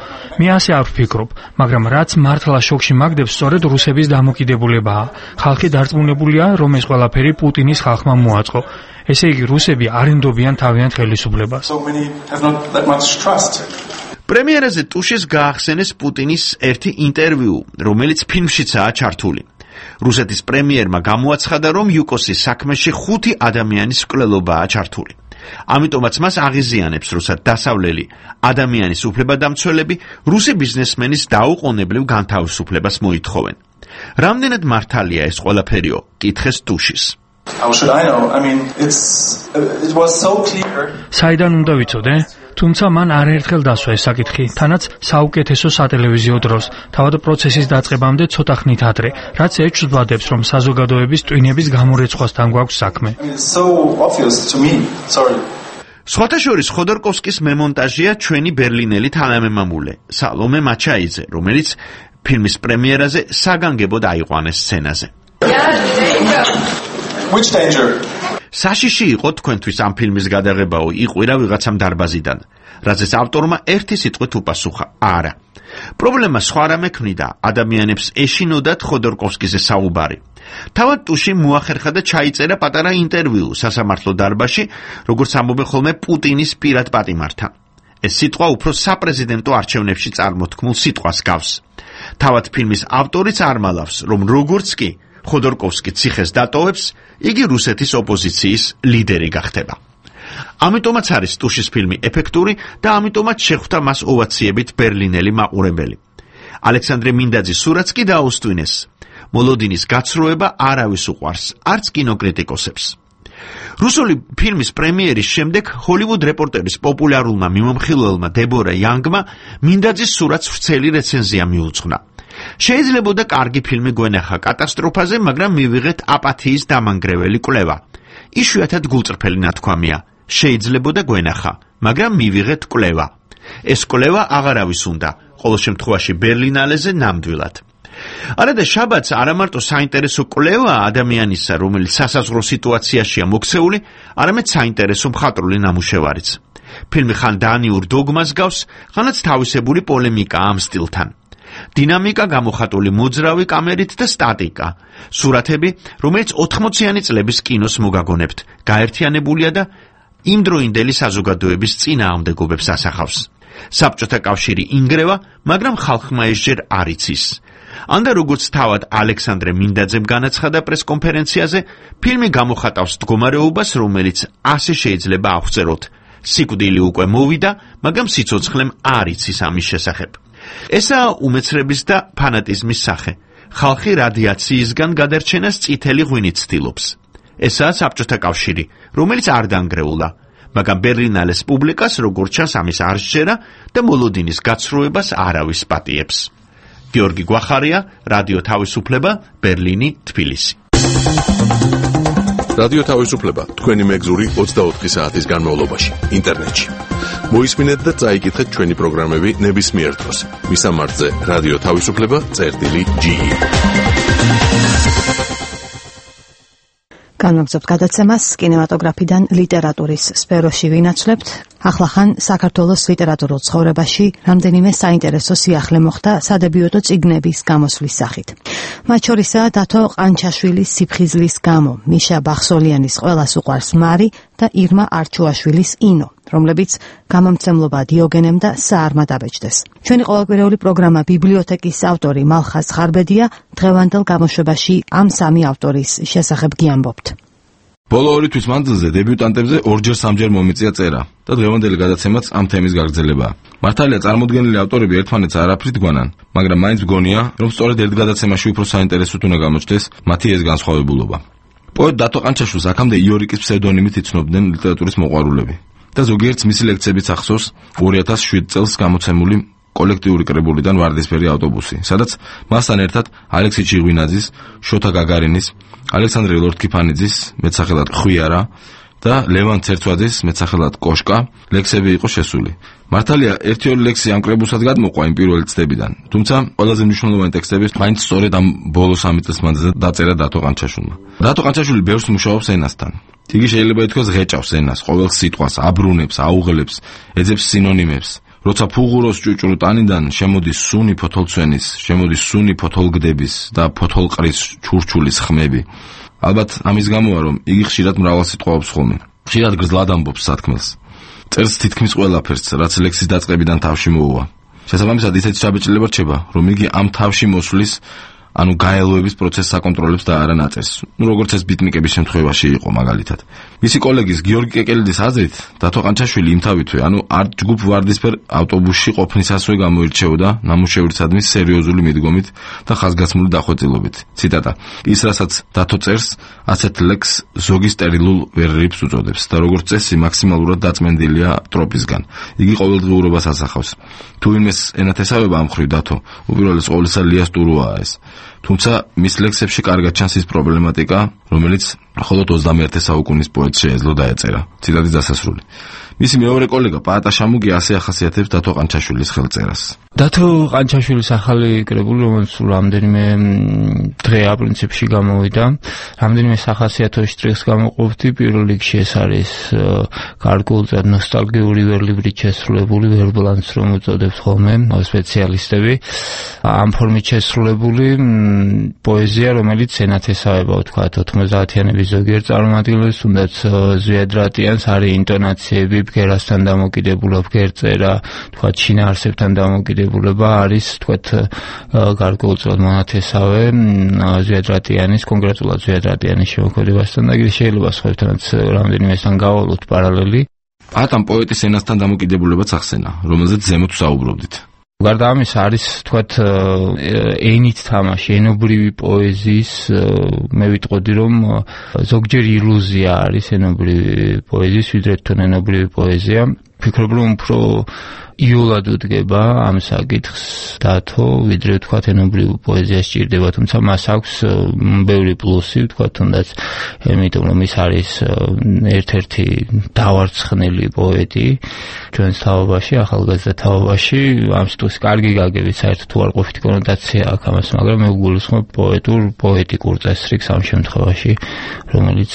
მე ასე არ ვფიქრობ, მაგრამ რაც მართლა შოკში მაგდებს, სწორედ რუსების დამოკიდებულებაა. ხალხი დარწმუნებულია, რომ ეს ყველაფერი პუტინის ხალხმა მოაწყო. ესე იგი, რუსები არ ენდობიან თავიანთ ხელისუფლებას. პრემიერაზე ტუშის გაახსენეს პუტინის ერთი ინტერვიუ, რომელიც ფილმშიცაა ჩართული. რუსეთის პრემიერმა გამოაცხადა, რომ იუკოსის საქმეში 5 ადამიანის მკვლელობაა ჩართული. ამიტომაც მას აღიზიანებს, როცა დასავლელი ადამიანის უფლებადამცველები რუსი ბიზნესმენის დაუყოვნებლივ განთავისუფლებას მოითხოვენ. რამდენად მართალია ეს ყველაფერიო? კითხეს ტუშის. საიდან უნდა ვიცოდე? თუმცა მან არაერთხელ დასვა ეს საკითხი, თანაც საუკეთესო სატელევიზიო დროს, თავად პროცესის დაწყებამდე ცოტა ხნით ადრე, რაც ეჩვდადებს, რომ საზოგადოების ტვინების გამორეცხვასთან გვაქვს საქმე. სხვათა შორის ხოდორკოვსკის მემონტაჟია ჩვენი ბერლინელი თანამემამულე, სალომე მაჩაიძე, რომელიც ფილმის პრემიერაზე საგანგებოდ აიყვანეს სცენაზე. საშიში იყო თქვენთვის ამ ფილმის გადაღებაო იყვირა ვიღაცამ დარბაზიდან, რაზეც ავტორმა ერთი სიტყვით უპასუხა: არა. პრობლემა სხვა რამე ქმნიდა, ადამიანებს ეშინოდათ ხოდორკოვსკიზე საუბარი. თავად ტუში მოახერხა და ჩაიწერა პატარა ინტერვიუ სასამართლო დარბაზში, როგორც ამბობენ ხოლმე პუტინის პირად პატიმართან. ეს სიტყვა უფრო საპრეზიდენტო არჩევნებში წარმოთქმულ სიტყვას გავს. თავად ფილმის ავტორიც არ მალავს, რომ როგორც კი ხოდორკოვსკი ციხეს დატოვებს, იგი რუსეთის ოპოზიციის ლიდერი გახდება. ამიტომაც არის ტუშის ფილმი ეფექტური და ამიტომაც შეხვდა მას ოვაციებით ბერლინელი მაყურებელი. ალექსანდრე მინდაძის სურათს კი დაუსტვინეს. მოლოდინის გაცრუება არავის უყვარს, არც კინოკრიტიკოსებს. რუსული ფილმის პრემიერის შემდეგ ჰოლივუდ რეპორტერის პოპულარულმა მიმომხილველმა დებორა იანგმა მინდაძის სურათს ვრცელი რეცენზია მიუძღვნა. შეიძლებოდა კარგი ფილმი გვენახა კატასტროფაზე, მაგრამ მივიღეთ აპათიის დამანგრეველი კვლევა. იშვიათად გულწრფელი ნათქვამია. შეიძლებოდა გვენახა, მაგრამ მივიღეთ კვლევა. ეს კვლევა აღარავის უნდა, ყოველ შემთხვევაში ბერლინალეზე ნამდვილად. არადა შაბათს არამარტო საინტერესო კვლევა ადამიანისა, რომელიც სასაზღვრო სიტუაციაშია მოქცეული, არამედ საინტერესო მხატვრული ნამუშევარიც. ფილმი ხან დანიურ დოგმას გავს, ხანაც თავისებური პოლემიკა ამ სტილთან. დინამიკა გამოხატული მოძრავი კამერით და სტატიკა. სურათები, რომელიც 80-იანი წლების კინოს მოგაგონებთ, გაერთიანებულია და იმდროინდელი საზოგადოების წინააღმდეგობებს ასახავს. საბჭოთა კავშირი ინგრევა, მაგრამ ხალხმა ესჯერ არ იცის. ანდა როგორც თავად ალექსანდრე მინდაძემ განაცხადა პრესკონფერენციაზე, ფილმი გამოხატავს მდგომარეობას, რომელიც ასე შეიძლება აღწეროთ. სიკვდილი უკვე მოვიდა, მაგრამ სიცოცხლემ არ იცის ამის შესახებ. ესაა უმეცრების და ფანატიზმის სახე. ხალხი რადიაციისგან გადარჩენას წითელი ღვინით ცდილობს. ესაა საბჭოთა კავშირი, რომელიც არ დანგრეულა, მაგრამ ბერლინალეს პუბლიკას როგორც ჩანს ამის არ სჯერა და მოლოდინის გაცრუებას არავის პატიებს. გიორგი გვახარია, რადიო თავისუფლება, ბერლინი, თბილისი. რადიო თავისუფლება, თქვენი მეგზური 24 საათის განმავლობაში, ინტერნეტში. მოისმინეთ და წაიკითხეთ ჩვენი პროგრამები ნებისმიერ დროს. მისამართზე რადიო თავისუფლება.ge. განვაგრძობთ გადაცემას კინემატოგრაფიდან ლიტერატურის სფეროში ვინაცვლებთ. ახლახან საქართველოს ლიტერატურულ ცხოვრებაში რამდენიმე საინტერესო სიახლე მოხდა სადებიუტო წიგნების გამოსვლის სახით. მათ შორისაა დათო ყანჩაშვილის სიფხიზლის გამო, მიშა ბახსოლიანის ყველას უყვარს მარი და ირმა არჩუაშვილის ინო, რომლებიც გამომცემლობა დიოგენემ და საარმა დაბეჭდეს. ჩვენი ყოველკვირეული პროგრამა ბიბლიოთეკის ავტორი მალხაზ ხარბედია დღევანდელ გამოშვებაში ამ სამი ავტორის შესახებ გიამბობთ. ბოლო ორი თვის მანძილზე დებიუტანტებზე ორჯერ-სამჯერ მომიწია წერა და დღევანდელი გადაცემაც ამ თემის გაგრძელებაა. მართალია წარმოდგენილი ავტორები ერთმანეთს არაფრით გვანან, მაგრამ მაინც მგონია, რომ სწორედ ერთ გადაცემაში უფრო საინტერესოდ უნდა გამოჩნდეს მათი ეს განსხვავებულობა. პოეტ დათო ყანჩაშვილს აქამდე იორიკის ფსევდონიმით იცნობდნენ ლიტერატურის მოყვარულები და ზოგიერთს მისი ლექციებიც ახსოვს 2007 წელს გამოცემული კოლექტიური კრებულიდან ვარდისფერი ავტობუსი, სადაც მასთან ერთად ალექსი ჩიღვინაძის, შოთა გაგარინის, ალექსანდრე ლორთქიფანიძის მეტსახელად ხვიარა და ლევან ცერცვაძის მეტსახელად კოშკა ლექსები იყო შესული. მართალია ერთი-ორი ლექსი ამ კრებულსაც გადმოყვა იმ პირველი წლებიდან, თუმცა ყველაზე მნიშვნელოვანი ტექსტები მაინც სწორედ ამ ბოლო 3 წლის მანძილზე დაწერა დათო ყანჩაშვილმა. დათო ყანჩაშვილი ბევრს მუშაობს ენასთან. იგი შეიძლება ითქვას ღეჭავს ენას, ყოველ სიტყვას, აბრუნებს, აუღლებს, ეძებს სინონიმებს. როცა ფუღუროს ჭუჭრუ ტანიდან შემოდის სუნი ფოთოლცვენის, შემოდის სუნი ფოთოლგდების და ფოთოლყრის ჩურჩულის ხმები. ალბათ ამის გამოა, რომ იგი ხშირად მრავალ სიტყვაობს ხოლმე. ხშირად გრძლად ამბობს სათქმელს. წერს თითქმის ყველაფერს, რაც ლექსის დაწყებიდან თავში მოუვა. შესაბამისად ისეთი ჩაბეჭდილება რჩება, რომ იგი ამ თავში მოსვლის ანუ გაელოების პროცესს აკონტროლებს და არა ნაწერს. როგორც ეს ბიტნიკების შემთხვევაში იყო მაგალითად. მისი კოლეგის გიორგი კეკელიძის აზრით, დათო ყანჩაშვილი იმთავითვე, ანუ არ ჯგუფ ვარდისფერ ავტობუსში ყოფნისასვე გამოირჩეოდა ნამუშევრისადმი სერიოზული მიდგომით და ხაზგასმული დახვეწილობით. ციტატა: ის რასაც დათო წერს, ასეთ ლექს ზოგი სტერილულ ვერერიფს უწოდებს და როგორც წესი მაქსიმალურად დაწმენდილია ტროპისგან. იგი ყოველდღიურობას ასახავს. თუ იმეს ენათესავება ამ ხრივ დათო, უპირველეს ყოვლისა ლიას ტურუაა ეს. თუმცა მის ლექსებში კარგად ჩანს ის პრობლემატიკა, რომელიც მხოლოდ 21 საუკუნის პოეტს შეეძლო დაეწერა. ციტატის დასასრული. მისი მეორე კოლეგა პაატა შამუგი ასე ახასიათებს დათო ყანჩაშვილის ხელწერას. დათო ყანჩაშვილის ახალი კრებული, რომელიც რამდენიმე დღეა პრინციპში გამოვიდა. რამდენიმე სახასიათო შტრიხს გამოყოფდი. პირველ რიგში ეს არის გარკვეულწილად ნოსტალგიური ვერლიბრით შესრულებული ვერბლანს, რომ უწოდებთ ხოლმე სპეციალისტები. ამ ფორმით შესრულებული პოეზია, რომელიც ენათესავება, ვთქვათ, 90-იანების ზოგიერთ წარმომადგენლებს, თუნდაც ზვიადრატიანს, არის ინტონაციები, ბგერასთან დამოკიდებულება, ბგერწერა, ვთქვათ, შინაარსებთან დამოკიდებულება არის, ვთქვათ, გარკვეულწილად მონათესავე ზვიადრატიანის, კონკრეტულად ზვიადრატიანის შემოქმედებასთან და შეიძლება სხვებთანაც რამდენიმესთან გავალოთ პარალელი. ამ პოეტის ენასთან დამოკიდებულებაც ახსენა, რომელზეც ზემოთ საუბრობდით. გარდა ამისა არის, ვთქვათ, ენით თამაში, ენობრივი პოეზიის, მე ვიტყოდი, რომ ზოგჯერ ილუზია არის ენობრივი პოეზიის, ვიდრე თვითონ ენობრივი პოეზია. ვფიქრობ, რომ უფრო იოლად უდგება ამ საკითხს დათო, ვიდრე ვთქვათ ენობრივ პოეზიას სჭირდება, თუმცა მას აქვს ბევრი პლუსი, ვთქვათ, თუნდაც იმიტომ რომ ის არის ერთ-ერთი დავარცხნილი პოეტი ჩვენს თაობაში, ახალგაზრდა თაობაში. ამ სიტყვის კარგი გაგებით საერთოდ თუ არ ყოფითი კონოტაცია აქვს ამას, მაგრამ მე ვგულისხმობ პოეტიკურ წესრიგს ამ შემთხვევაში, რომელიც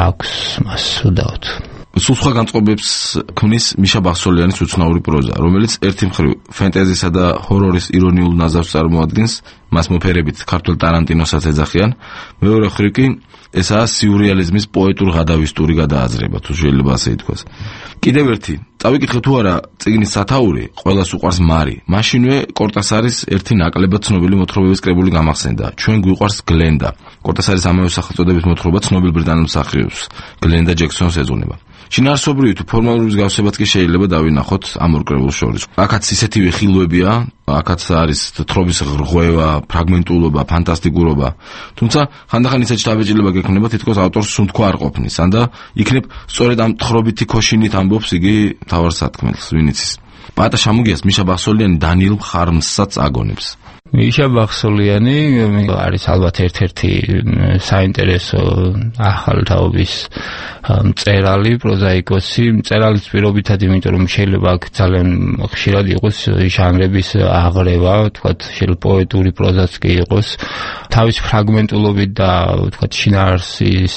აქვს მას უდავთ. სულ სხვა განწყობებს ქმნის მიშა ბახსოლიანის უცნაური პროზა, რომელიც ერთი მხრივ ფენტეზისა და ჰორორის ირონიულ ნაზავს წარმოადგენს, მას მოფერებით ქართულ ტარანტინოსაც ეძახიან, მეორე მხრივ კი ესაა სიურრეალიზმის პოეტურ-ღადავისტური გადააზრება, თუ შეიძლება ასე ითქვას. კიდევ ერთი, წავიკითხე თუ არა წიგნის სათაური, ყველას უყვარს მარი. მაშინვე კორტასარის ერთი ნაკლებად ცნობილი მოთხრობების კრებული გამახსენდა. ჩვენ გვიყვარს გლენდა. კორტასარის ამავე სახელწოდების მოთხრობა ცნობილ ბრიტანელ მსახიობს გლენდა ჯექსონს ეძღვნება. შინაარსობრივი თუ ფორმალური მსგავსებაც კი შეიძლება დავინახოთ ამ ორ კრებულს შორის. აქაც ისეთივე ხილვებია, აქაც არის თხრობის რღვევა, ფრაგმენტულობა, ფანტასტიკურობა. თუმცა ხანდახან ისეთი შთაბეჭდილება გექნება, თითქოს ავტორს სუნთქვა არ ყოფნის, ანდა იქნებ სწორედ ამ თხრობითი ქოშინით ამბობს იგი მთავარ სათქმელს, ვინც ის. პატა შამუგიას მიშა ბახსოლიანი დანიელ მხარმსსაც აგონებს. მიშა ბახსოლიანი არის ალბათ ერთ-ერთი საინტერესო ახალთაობის მწერალი, პროზაიკოსი. მწერალის პირობითად, იმიტომ რომ შეიძლება აქ ძალიან ხშირად იყოს ჟანრების აღრევა, ვთქვათ, შეიძლება პოეტური პროზაც კი იყოს. თავის ფრაგმენტულობით და ვთქვათ, შინაარსის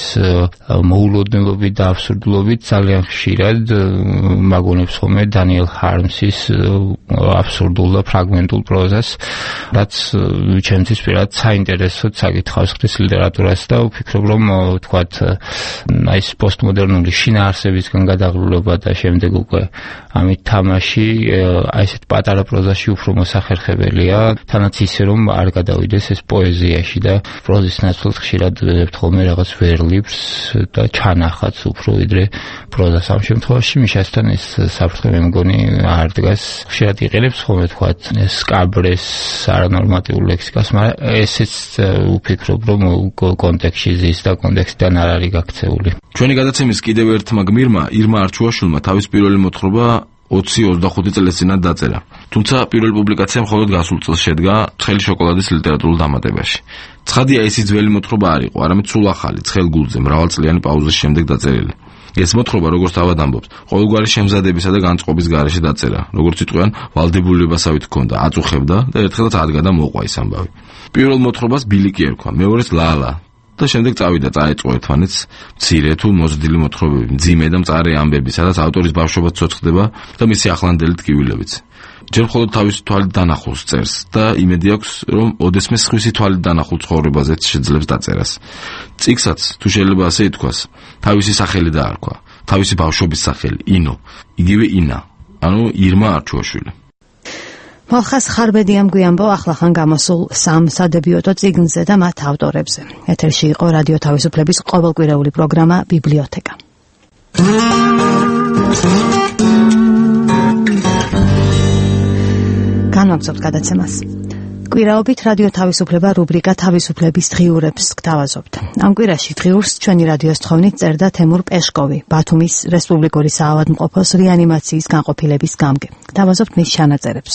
მოულოდნელობით და აბსურდულობით ძალიან ხშირად მაგონებს ხოლმე დანიელ ჰარმსის აბსურდულ და ფრაგმენტულ პროზას. რაც ჩემთვის პირად საინტერესოდ საკითხავს ხდის ლიტერატურას და ვფიქრობ, რომ ვთქვათ, აი ეს პოსტმოდერნული შინაარსებისგან გადაღლულობა და შემდეგ უკვე ამით თამაში აი ესეთ პატარა პროზაში უფრო მოსახერხებელია, თანაც ისე რომ არ გადავიდეს ეს პოეზიაში და პროზის ნაცვლად ხშირად ვიღებთ ხოლმე რაღაც ვერლიბს და ჩანახაც უფრო ვიდრე პროზას. ამ შემთხვევაში მიშასთან ეს საფრთხე მე მგონი არ დგას. ხშირად იყენებს ხოლმე ვთქვათ სკაბრეს არანორმატიულ ლექსიკას, მაგრამ ესეც ვფიქრობ, რომ კონტექსტში ზის და კონტექსტიდან არ არის გაქცეული. ჩვენი გადაცემის კიდევ ერთმა გმირმა ირმა არჩუაშვილმა თავის პირველი მოთხრობა 20-25 წელს წინათ დაწერა. თუმცა პირველი პუბლიკაცია მხოლოდ გასულ წელს შედგა ცხელი შოკოლადის ლიტერატურულ დამატებაში. ცხადია, ეს ძველი მოთხრობა არ იყო, არამედ სულ ახალი, ცხელ გულზე, მრავალწლიანი პაუზის შემდეგ დაწერილი. ეს მოთხრობა, როგორც თავად ამბობს, ყოველგვარი შემზადებისა და განწყობის გარეშე დაწერა, როგორც იტყვიან, ვალდებულებასავით ჰქონდა, აწუხებდა და ერთხელაც ადგა და მოყვა ის ამბავი. პირველ მოთხრობას ბილიკი ერქვა, მეორეს ლალა და შემდეგ წავიდა წაეწყო ერთმანეთს მცირე თუ მოზრდილი მოთხრობები, მძიმე და მწარე ამბები, სადაც ავტორის ბავშვობაც ცოცხლდება და მისი ახლანდელი ტკივილებიც. ჯერ მხოლოდ თავისი თვალით დანახულს წერს და იმედი აქვს, რომ ოდესმე სხვისი თვალით დანახულ ცხოვრებაზეც შეძლებს დაწერას. წიგნსაც, თუ შეიძლება ასე ითქვას, თავისი სახელი დაარქვა, თავისი ბავშვობის სახელი, ინო, იგივე ინა, ანუ ირმა არჩუაშვილი. მალხას ხარბედიამ გვიამბო ახლახან გამოსულ სამ სადებიუტო წიგნზე და მათ ავტორებზე. ეთერში იყო რადიო თავისუფლების ყოველკვირეული პროგრამა ბიბლიოთეკა. განვაგრძობთ გადაცემას. კვირაობით რადიო თავისუფლება რუბრიკა თავისუფლების დღიურებს გთავაზობთ. ამ კვირაში დღიურს ჩვენი რადიოს თხოვნით წერდა თემურ პეშკოვი, ბათუმის რესპუბლიკური საავადმყოფოს რეანიმაციის განყოფილების გამგე. გთავაზობთ მის ჩანაწერებს.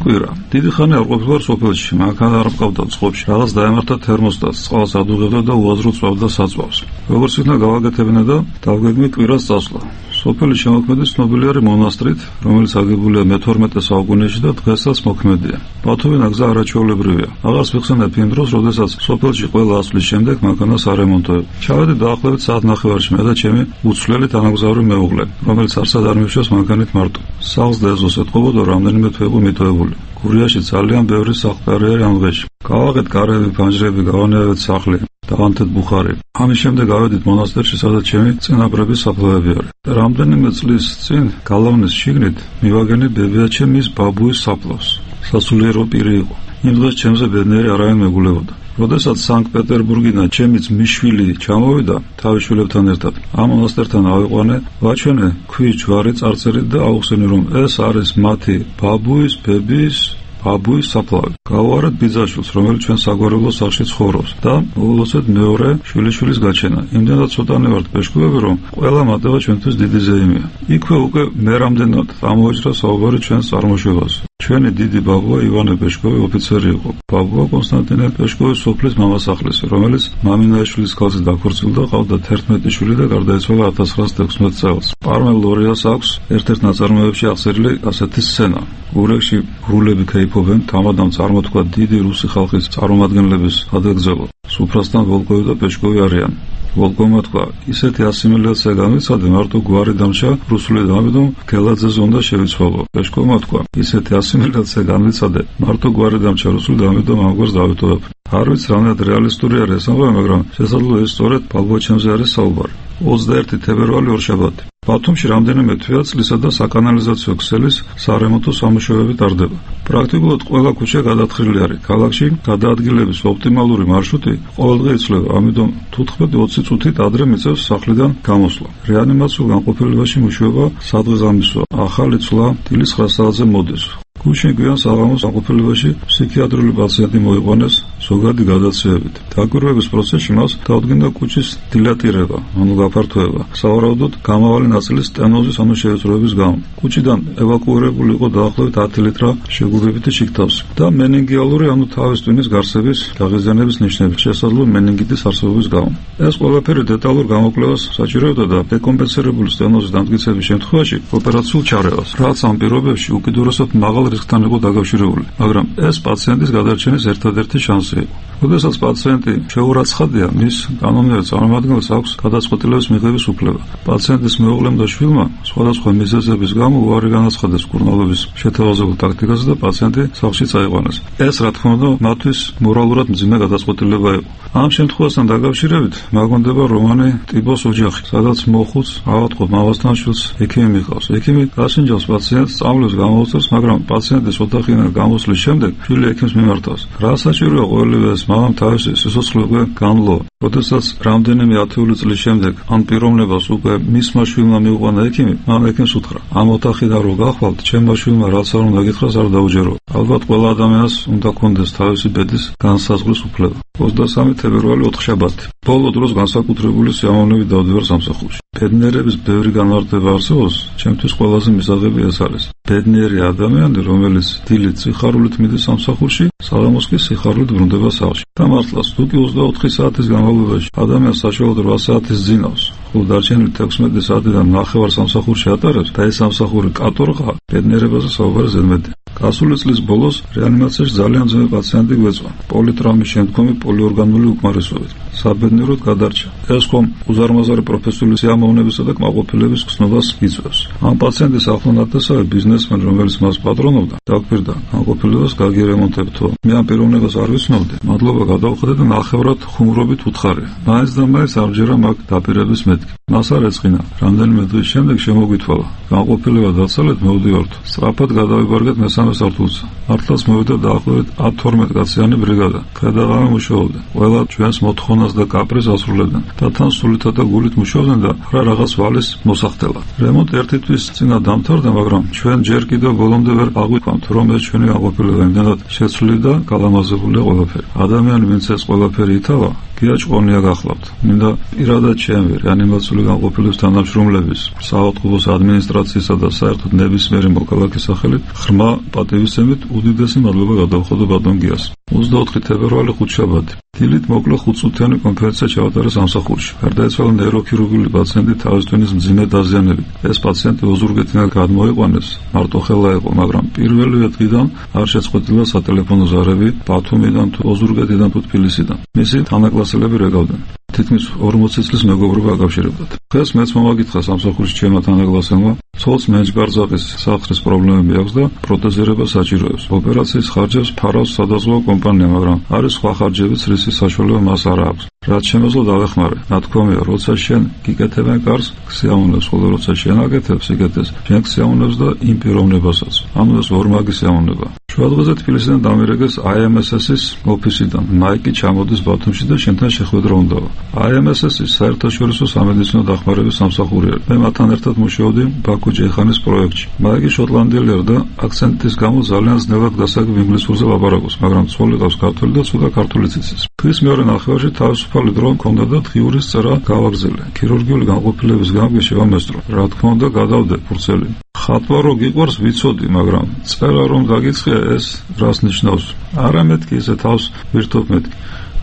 კვირა. დიდი ხანი არ ყოფილა სოფელში, მანქანა არ მყავდა წყობაში. რაღაც დაემართა თერმოსტატს, წყალს ადუღებდა და უაზროდ წვავდა საწვავს. როგორც იქნა გავაკეთებინა და დავგეგმით კვირას წასვლა. სოფელი შემოქმედის ცნობილი არის მონასტრით, რომელიც აგებულია მე-12 საუკუნეში და დღესაც მოქმედია. ბათუმიდან გზა არაჩვეულებრივია. აღარც ვიხსენებ იმ დროს, როდესაც სოფელში ყველა ასვლის შემდეგ მანქანას არემონტოებ. ჩავედი დაახლოებით საათნახევარში მე და ჩემი უცვლელი თანაგზავრი მეუღლე, რომელიც არსად არ მივშევს მანქანით მარტო. სახლს და ეზოს ეთყობოდა რამდენიმე თვე იყო მიტოვებული. გურიაში ძალიან ბევრი სახლკარი არის ამ დღეში. გავაღეთ კარები, ფანჯრები, გავანებეთ სახლი. დავანთეთ ბუხარი. ამის შემდეგ გავედით მონასტერში, სადაც ჩემი წინაპრების საფლავები არის. რამდენიმე წლის წინ გალავნის შიგნით მივაგენი ბებიაჩემ მის ბაბუის საფლავს. სასულიერო პირი იყო. იმ დღეს ჩემზე ბედნიერი არავინ მეგულებოდა. როდესაც სანქტ-პეტერბურგიდან ჩემიც მიშვილი ჩამოვიდა თავის შვილებთან ერთად, ამ მონასტერთან ავიყვანე, ვაჩვენე ქვის ჯვარი წარწერით და აუხსენე, რომ ეს არის მათი ბაბუის, ბებიის ბაბუის საფლავი. გავუარეთ ბიძაშვილს, რომელიც ჩვენ საგვარეულო სახლში ცხოვრობს და მოვულოცეთ მეორე შვილიშვილის გაჩენა. იმდენად ცოტანი ვართ ბეშკუები, რომ ყველა მატება ჩვენთვის დიდი ზეიმია. იქვე უკვე მე რამდენად ამოიჭრა საუბარი ჩვენს წარმოშობაზე. ჩვენი დიდი ბაბუა ივანე ბეშკოვი ოფიცერი იყო. ბაბუა კონსტანტინე ბეშკოვის სოფლის მამასახლისი, რომელიც მამინაშვილის ქალზე დაქორწინდა, ყავდა 11 შვილი და გარდაეცვალა 1916 წელს. პარმელ ლორიას აქვს ერთ-ერთ ნაწარმოებში აღწერილი ასეთი სცენა. გურიაში გრულები ქეიფობენ, თამადამ წარმოთქვა დიდი რუსი ხალხის წარმომადგენლების გადაგზავნილ. სუფრასთან ვოლკოვი და ბეშკოვი არიან. ვოლკოვმა თქვა, ისეთი ასიმილაცია განვიცადე, მარტო გვარი დამჭა რუსული და ამიტომ გელაძეზე უნდა შევიცვალო. ბეშკოვმა თქვა, ისეთი ასიმილაცია განვიცადე, მარტო გვარი დამჭა რუსული და ამიტომ ამგვარს დავიტოვებ. არ ვიცი რამდენად რეალისტური არის ეს ამბავი, მაგრამ შესაძლოა ეს სწორედ ბაბუაჩემზე არის საუბარი. 21 თებერვალი ორშაბათი. ბათუმში რამდენიმე თვეა წლისა და საკანალიზაციო ქსელის სარემონტო სამუშაოები ტარდება. პრაქტიკულად ყველა ქუჩა გადათხრილი არის. ქალაქში გადაადგილების ოპტიმალური მარშრუტი ყოველდღე იცვლება, ამიტომ 15-20 წუთით ადრე მიწევს სახლიდან გამოსვლა. რეანიმაციულ განყოფილებაში მუშაობა სადღეღამისოა. ახალი ცვლა დილის 9 საათზე მოდის. გუშინ გვიან საღამოს განყოფილებაში ფსიქიატრიული პაციენტი მოიყვანეს ზოგადი გადაცემებით. დაკვირვების პროცესში მას დაუდგინდა კუჭის დილატირება, ანუ გაფართოება. სავარაუდოდ გამავალი ნაწილის სტენოზის, ანუ შეეწროების გამო. კუჭიდან ევაკუირებული იყო დაახლოებით 10 ლიტრა შეგუბებითი შიგთავსი და მენინგიალური, ანუ თავის ტვინის გარსების გაღიზიანების ნიშნები, შესაძლოა მენინგიტის არსებობის გამო. ეს ყველაფერი დეტალურ გამოკვლევას საჭიროებდა და დეკომპენსირებული სტენოზის დამტკიცების შემთხვევაში ოპერაციულ ჩარევას, რაც ამ პირობებში უკიდურესად მაღალ რისკთან იყო დაკავშირებული, მაგრამ ეს პაციენტის გადარჩენის ერთადერთი შანსი იყო. როდესაც პაციენტი შეურაცხადია, მის კანონიერ წარმომადგენელს აქვს გადაწყვეტილების მიღების უფლება. პაციენტის მეუღლემ და შვილმა სხვადასხვა მიზეზების გამო უარი განაცხადეს მკურნალობის შეთავაზებულ ტაქტიკაზე და პაციენტი სახლში წაიყვანეს. ეს რა თქმა უნდა მათთვის მორალურად მძიმე გადაწყვეტილება იყო. ამ შემთხვევასთან დაკავშირებით მაგვანდება რომანი ტიბოს ოჯახი, სადაც მოხუც ავადმყოფ მამასთან შვილს ექიმი მიყავს. ექიმი გასინჯავს პაციენტს, სწავლებს გამოუწევს, მაგრამ პაციენტის ოთახიდან გამოსვლის შემდეგ შვილი ექიმს მიმართავს. რა საჭიროა ყოველივე ეს მამამ თავისი სიცოცხლე უკვე განლო. როდესაც რამდენიმე ათეული წლის შემდეგ ამ პიროვნებას უკვე მისმა შვილმა მიუყვანა ექიმი, მამამ ექიმს უთხრა: ამ ოთახიდან რო გახვალთ, ჩემმა შვილმა რაც არ უნდა გითხრას არ დაუჯერო. ალბათ ყველა ადამიანს უნდა კონდეს თავისი ბედის განსაზღვრის უფლება. 23 თებერვალი ოთხშაბათი. ბოლო დროს განსაკუთრებული სიამოვნებით დავდივარ სამსახურში. ბედნიერების ბევრი განმარტება არსებობს, ჩემთვის ყველაზე მისაღები ეს არის. ბედნიერი ადამიანი, რომელიც დილით სიხარულით მიდის სამსახურში, საღამოს კი სიხარულით ბრუნდება სახლში. და მართლაც, თუ კი 24 საათის განმავლობაში ადამიანს საშუალოდ 8 საათის ძინავს, ხოლო დარჩენილი 16 საათიდან ნახევარ სამსახურში ატარებს და ეს სამსახური კატორღაა, ბედნიერებაზე საუბარი ზედმეტია. გასული წლის ბოლოს რეანიმაციაში ძალიან ძნელი პაციენტი გვეწვა. პოლიტრაუმის შემდგომი პოლიორგანული უკმარისობით. საბედნიეროდ გადარჩა. ეს ხომ უზარმაზარი პროფესიული სიამოვნებისა და კმაყოფილების გრძნობას იწვევს. ამ პაციენტის ახლონათესავე ბიზნესმენი, რომელიც მას პატრონობდა, დაგვირდა განყოფილებას გაგირემონტებთო. მე ამ პიროვნებას არ ვიცნობდი. მადლობა გადავხადე და ნახევრად ხუმრობით უთხარია. მაინც და მაინც ამჯერა მაგ დაპირების მეთქი. მას არ ეწყინა. რამდენიმე დღის შემდეგ შემოგვითვალა. განყოფილება დაცალეთ, მოვდივართ. სწრაფად გადავიბარგეთ მესამე სართულზე. მართლაც მოვიდა დაახლოებით 10-12 კაციანი ბრიგადა. გადაღამე მუშაობდა. ყველა ჩვენს მოთხოვნას და კაპრიზს ასრულებდნენ და თან სულითა და გულით მუშაობდნენ და რა რაღაც ვალის მოსახდელად. რემონტი ერთი თვის წინა დამთავრდა, მაგრამ ჩვენ ჯერ კიდევ ბოლომდე ვერ აღვიქვამთ, რომ ეს ჩვენი განყოფილება იმდენად შეცვლილი და გალამაზებულია ყველაფერი. ადამიანი, ვინც ეს ყველაფერი ითავა, გიაჭყონია გახლავთ. მინდა პირადად ჩემი რეანიმაციული განყოფილების თანამშრომლების, საავადმყოფოს ადმინისტრაციისა და საერთოდ ნებისმიერი მოქალაქის სახელით ღრმა პატივისცემით უდიდესი მადლობა გადავხადო ბატონ გიას. 24 თებერვალი ხუთშაბათი. დილით მოკლე 5 წუთიანი კონფერენცია ჩაატარა სამსახურში. გარდაეცვალა ნეიროქირურგიული პაციენტი თავის ტვინის მძიმე დაზიანებით. ეს პაციენტი ოზურგეთიდან გადმოიყვანეს, მარტოხელა იყო, მაგრამ პირველივე დღიდან არ შეწყვეტილა სატელეფონო ზარები ბათუმიდან თუ ოზურგეთიდან თუ თბილისიდან. მისი თანაკლასელები რეგავდნენ. თითქმის 40 წლის მეგობრობა აკავშირებდათ. დღეს მეც მომაგითხა სამსახურში ჩემმა თანაკლასელმა, ცოლს მეჯგარძაყის სახსრის პრობლემები აქვს და პროტეზირება საჭიროებს. ოპერაციის ხარჯებს ფარავს სადაზღვევო კომპანია, მაგრამ არის სხვა ხარჯებიც, რისის საშუალება მას არ აქვს. რაც შემეძლო დავეხმარე. ნათქვამია, როცა შენ გიკეთებენ კარს, გსიამოვნებს, ხოლო როცა შენ აკეთებს იკეთეს, შენ გსიამოვნებს და იმ პიროვნებასაც. ანუ ეს ორმაგი სიამოვნება. შუადღეზე თბილისიდან დამირეკეს IMSS-ის ოფისიდან. მაიკი ჩამოდის ბათუმში და შენთან შეხვედრა უნდაო. IMSS-ის საერთაშორისო სამედიცინო დახმარების სამსახურია. მე მათთან ერთად მუშაობდი ბაქო ჯეიხანის პროექტში. მაიკი შოტლანდიელია და აქცენტის გამო ძალიან ძნელად გასაგებ ინგლისურზე ლაპარაკობს, მაგრამ ცოლი ყავს ქართველი და ცოტა ქართულიც იცის. თვის მეორე ნახევარში თავისუფალი დრო მქონდა და დღიურის წერა გავაგზელე. ქირურგიული განყოფილების გამო შევამესტრო. რა თქმა უნდა, გადავდე ფურცელი. ხატვა რო გიყვარს ვიცოდი, მაგრამ წერა რომ გაგიწყია ეს რას ნიშნავს? არა მეთქი ისე თავს ვირთობ მეთქი.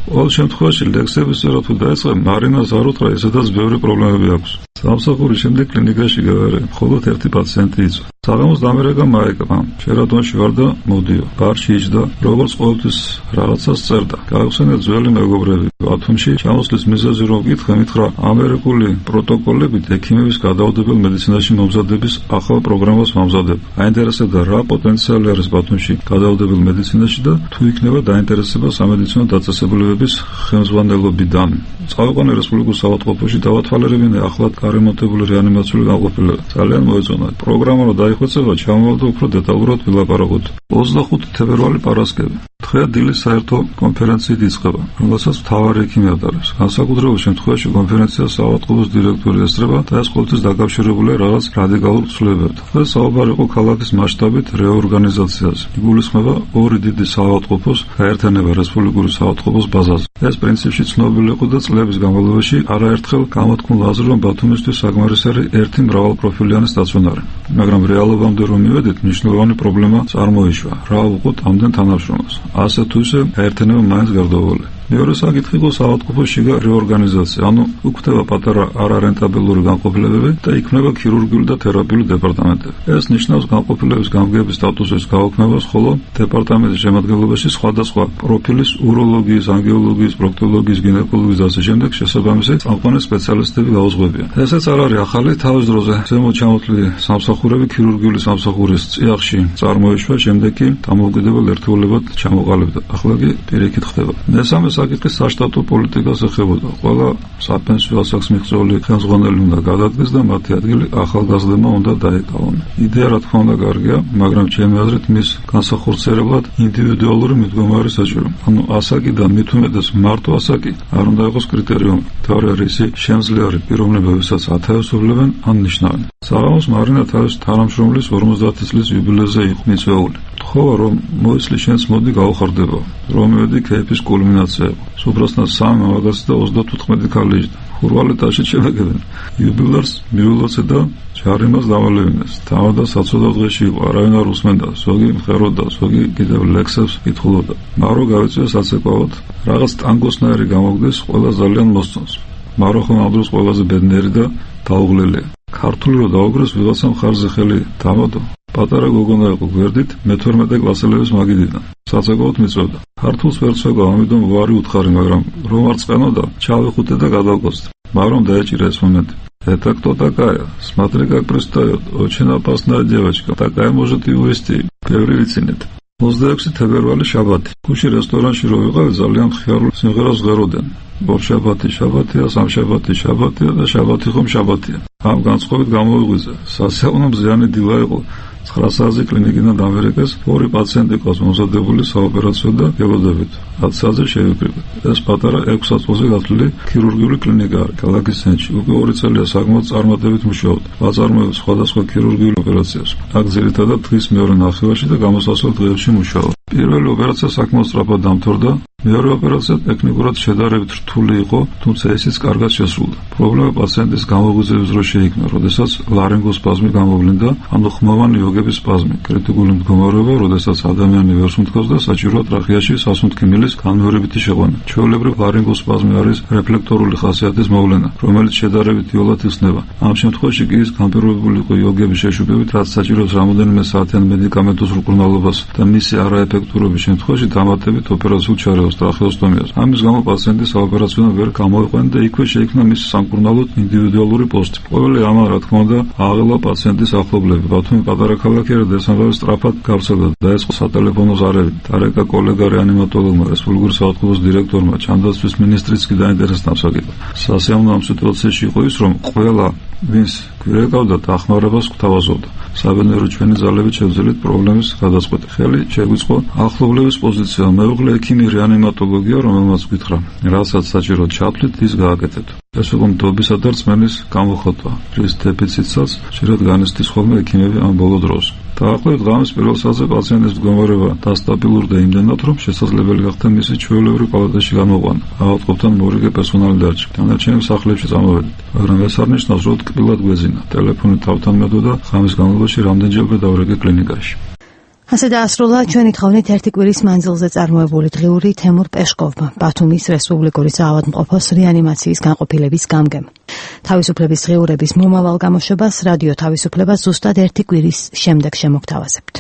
ყოველ შემთხვევაში ლექსების წერა თუ დაეწყე, მარინას არ უთხრა, ესედაც ბევრი პრობლემები აქვს. სამსახურის შემდეგ კლინიკაში გავარე, მხოლოდ ერთი პაციენტი იწვა. საღამოს დამერეკა მაიკა, შერადონში ვარ და მოდიო. ბარში იჯდა, როგორც ყოველთვის რაღაცას წერდა. გაიხსენე ძველი მეგობრები. ბათუმში ჩამოსვლის მიზეზი რომ გითხრა, მითხრა ამერიკული პროტოკოლებით ექიმების გადაუდებელ მედიცინაში მომზადების ახალ პროგრამას მომზადებ. აინტერესებდა რა პოტენციალი არის ბათუმში გადაუდებელ მედიცინაში და თუ იქნება დაინტერესება სამედიცინო დაწესებულებების ხელმძღვანელობიდან. წავიყვანე რესპუბლიკურ საავადმყოფოში დავათვალიერებინე ახლად გარემონტებული რეანიმაციული განყოფილება. ძალიან მოეწონა. პროგრამა რომ დაიხვეწება, ჩამოვალდა უფრო დეტალურად ვილაპარაკოთ. 25 თებერვალი პარასკევი. დღე დილის საერთო კონფერენციით იწყება, რომელსაც მთავარი ექიმი ატარებს. განსაკუთრებულ შემთხვევაში კონფერენციას საავადმყოფოს დირექტორი ესწრება და ეს ყოველთვის დაკავშირებულია რაღაც რადიკალურ ცვლილებებთან. დღეს საუბარი იყო ქალაქის მასშტაბით რეორგანიზაციაზე. იგულისხმება ორი დიდი საავადმყოფოს გაერთიანება რესპუბლიკური საავადმყოფოს ბაზაზე. ეს პრინციპში ცნობილი იყო და წლების განმავლობაში არაერთხელ გამოთქმულა აზრი, რომ ბათუმისთვის საკმარისარი ერთი მრავალპროფილიანი სტაციონარი. მაგრამ რეალობამდე რომ მივედით, მნიშვნელოვანი პრობლემა წარმოიშვა. რა ვუყოთ ამდენ თანამშრომელს? ასე თუ ისე გაერთიანება მაინც გარდაუვალე. მეორე საკითხი იყო საავადმყოფოს შიგა რეორგანიზაცია, ანუ უქმდება პატარა არარენტაბელური განყოფილებები და იქმნება ქირურგიული და თერაპიული დეპარტამენტები. ეს ნიშნავს განყოფილების გამგეობის სტატუსის გაუქმებას, ხოლო დეპარტამენტის შემადგენლობაში სხვადასხვა პროფილის უროლოგიის, ანგიოლოგიის, პროქტოლოგიის, გინეკოლოგიის და ასე შემდეგ შესაბამისი წამყვანი სპეციალისტები გაუძღვებიან. ესეც არ არის ახალი, თავის დროზე ზემოთ ჩამოთვლილი სამსახურები ქირურგიული სამსახურის წიაღში წარმოიშვა, შემდეგ კი დამოუკიდებელ ერთეულებად ჩამოყალიბდა. ახლა კი პირიქით ხდება. მესამე საკითხი საშტატო პოლიტიკას ეხებოდა. ყველა საპენსიო ასაკს მიღწეული ხელმძღვანელი უნდა გადადგეს და მათი ადგილი ახალგაზრდებმა უნდა დაეკავონ. იდეა რა თქმა უნდა კარგია, მაგრამ ჩემი აზრით მის განსახორციელებლად ინდივიდუალური მიდგომა არის საჭირო. ანუ ასაკი და მით უმეტეს მარტო ასაკი არ უნდა იყოს კრიტერიუმი. თავი არის შემძლეარი პიროვნებები, ვისაც ათავისუფლებენ ან ნიშნავენ. საღამოს მარინა თავის თანამშრომლის 50 წლის იუბილეზე იყო მიწვეული. თხოვა რომ მოისლი შენს მოდი გავხარდება. რომ მივედი ქეიფის კულმინაცია. სუფრასთან 3 მამაკაცი და 35 ქალი იჯდა. ხურვალეთაში შემეგებენ. იუბილარს მიულოცე და ჯარიმას დავალევინეს. თავდა საცოდავ დღეში იყო, არავინ არ უსმენდა, ზოგი მღეროდა, ზოგი კიდევ ლექსებს კითხულობდა. მარო გავიწვია საცეკვავად, რაღაც ტანგოსნაირი გამოგდეს, ყველა ძალიან მოსწონს. მარო ხომ ამ დროს ყველაზე ბედნიერი და დაუღლელია. ქართული რო დაუგრეს, ვიღაცა მხარზე ხელი დამოდო. პატარა გოგონა იყო გვერდით, მე-12 კლასელების მაგიდიდან. საცეკვავად მიწვევდა. ქართულს ვერ ცვევა, ამიტომ ვარი უთხარი, მაგრამ რომ არ წყენოდა, ჩავიხუტე და გადავკოცდი. მაგრამ დაეჭირა ეს მომენტი. Это кто такая? Смотри, как пристает. Очень опасная девочка. Такая может и увести. Ბევრი ვიცინეთ. 26 თებერვალი შაბათი. ქუში რესტორანში რო ვიყავი, ძალიან ხიარულ სიმღერას ღეროდნენ. ორ შაბათი შაბათია, სამშაბათი შაბათია და შაბათი ხომ შაბათია. ამ განწყობით გამოვიღვიძე. სასიამოვნო მზიანი დილა იყო. 9 საათზე კლინიკიდან დამერეკეს, ორი პაციენტი ყავს მომზადებული საოპერაციო და გელოდებით. 10 საათზე შევიკრიბეთ. ეს პატარა 6 საათზე გათვლილი ქირურგიული კლინიკა არის ქალაქის ცენტრში. უკვე 2 წელია საკმაოდ წარმატებით მუშაობ. ვაწარმოებ სხვადასხვა ქირურგიულ ოპერაციებს. აქ ძირითადად დღის მეორე ნახევარში და გამოსასვლელ დღეებში მუშაობ. პირველი ოპერაცია საკმაოდ სწრაფად დამთავრდა. მეორე ოპერაცია ტექნიკურად შედარებით რთული იყო, თუმცა ისიც კარგად შესრულდა. პრობლემა პაციენტის გამოღვიძების დროს შეიქმნა, როდესაც ლარინგოსპაზმი გამოვლინდა, ანუ ხმოვანი ოგების სპაზმი, კრიტიკული მდგომარეობა, როდესაც ადამიანი ვერ სუნთქავს და საჭიროა ტრახეაში სასუნთქიმილის განმეორებითი შეყვანა. ჩვეულებრივ ლარინგოსპაზმი არის რეფლექტორული ხასიათის მოვლენა, რომელიც შედარებით იოლად იხსნება. ამ შემთხვევაში კი ის განპირობებული იყო ოგების შეშუპებით, რაც საჭიროებს რამოდენიმე საათიან მედიკამენტოს მკურნალობას და მისი არაეფექტურობის შემთხვევაში დამატებით ოპერაციულ ჩარევას. ტრახეოსტომიას. ამის გამო პაციენტი საოპერაციო ვერ გამოიყვანა და იქვე შეიქმნა მის სამკურნალოდ ინდივიდუალური პოსტი. ყოველი ამან რა თქმა უნდა აღელა პაციენტის ახლობლები. ბათუმი პატარა ქალაქია და ესამბავე სწრაფად გავრცელდა და ეს სატელეფონო ზარებით. თარეკა კოლეგა რეანიმატოლოგმა, რესპუბლიკური საავადმყოფოს დირექტორმა, ჩანდაცვის მინისტრიც კი დაინტერესდა ამ საკითხად. სასიამოვნო ამ სიტუაციაში იყო ის, რომ ყველა ვინს გვირეკავდა დახმარებას გვთავაზობდა. საბედნიერო ჩვენი ძალებით შევძელით პრობლემის გადაწყვეტი. ხელი შეგვიწყო ახლობლების პოზიცია, მეუღლე ექიმი რეანიმატოლოგია, რომელმაც გითხრა, რასაც საჭიროდ ჩათვლით, ის გააკეთეთ. ეს იყო მდობისა და რწმენის გამოხატვა, რის დეფიციტსაც ხშირად განიცდის ხოლმე ექიმები ამ ბოლო დროს. დაახლოებით ღამის პირველ საათზე პაციენტის მდგომარეობა დასტაბილურდა იმდენად, რომ შესაძლებელი გახდა მისი ჩვეულებრივ პალატაში გამოყვანა. ავადმყოფთან მორიგე პერსონალი დარჩა. დანარჩენი სახლებში წამოვედით, მაგრამ ეს არ ნიშნავს, რომ ტკბილად გვეძინა. ტელეფონი თავთან მედოდა, ღამის განმავლობაში რამდენჯერმე დავრეკე კლინიკაში. ასე დაასრულა ჩვენი თხოვნით ერთი კვირის მანძილზე წარმოებული დღიური თემურ პეშკოვმა, ბათუმის რესპუბლიკური საავადმყოფოს რეანიმაციის განყოფილების გამგემ. თავისუფლების დღიურების მომავალ გამოშვებას რადიო თავისუფლება ზუსტად ერთი კვირის შემდეგ შემოგთავაზებთ.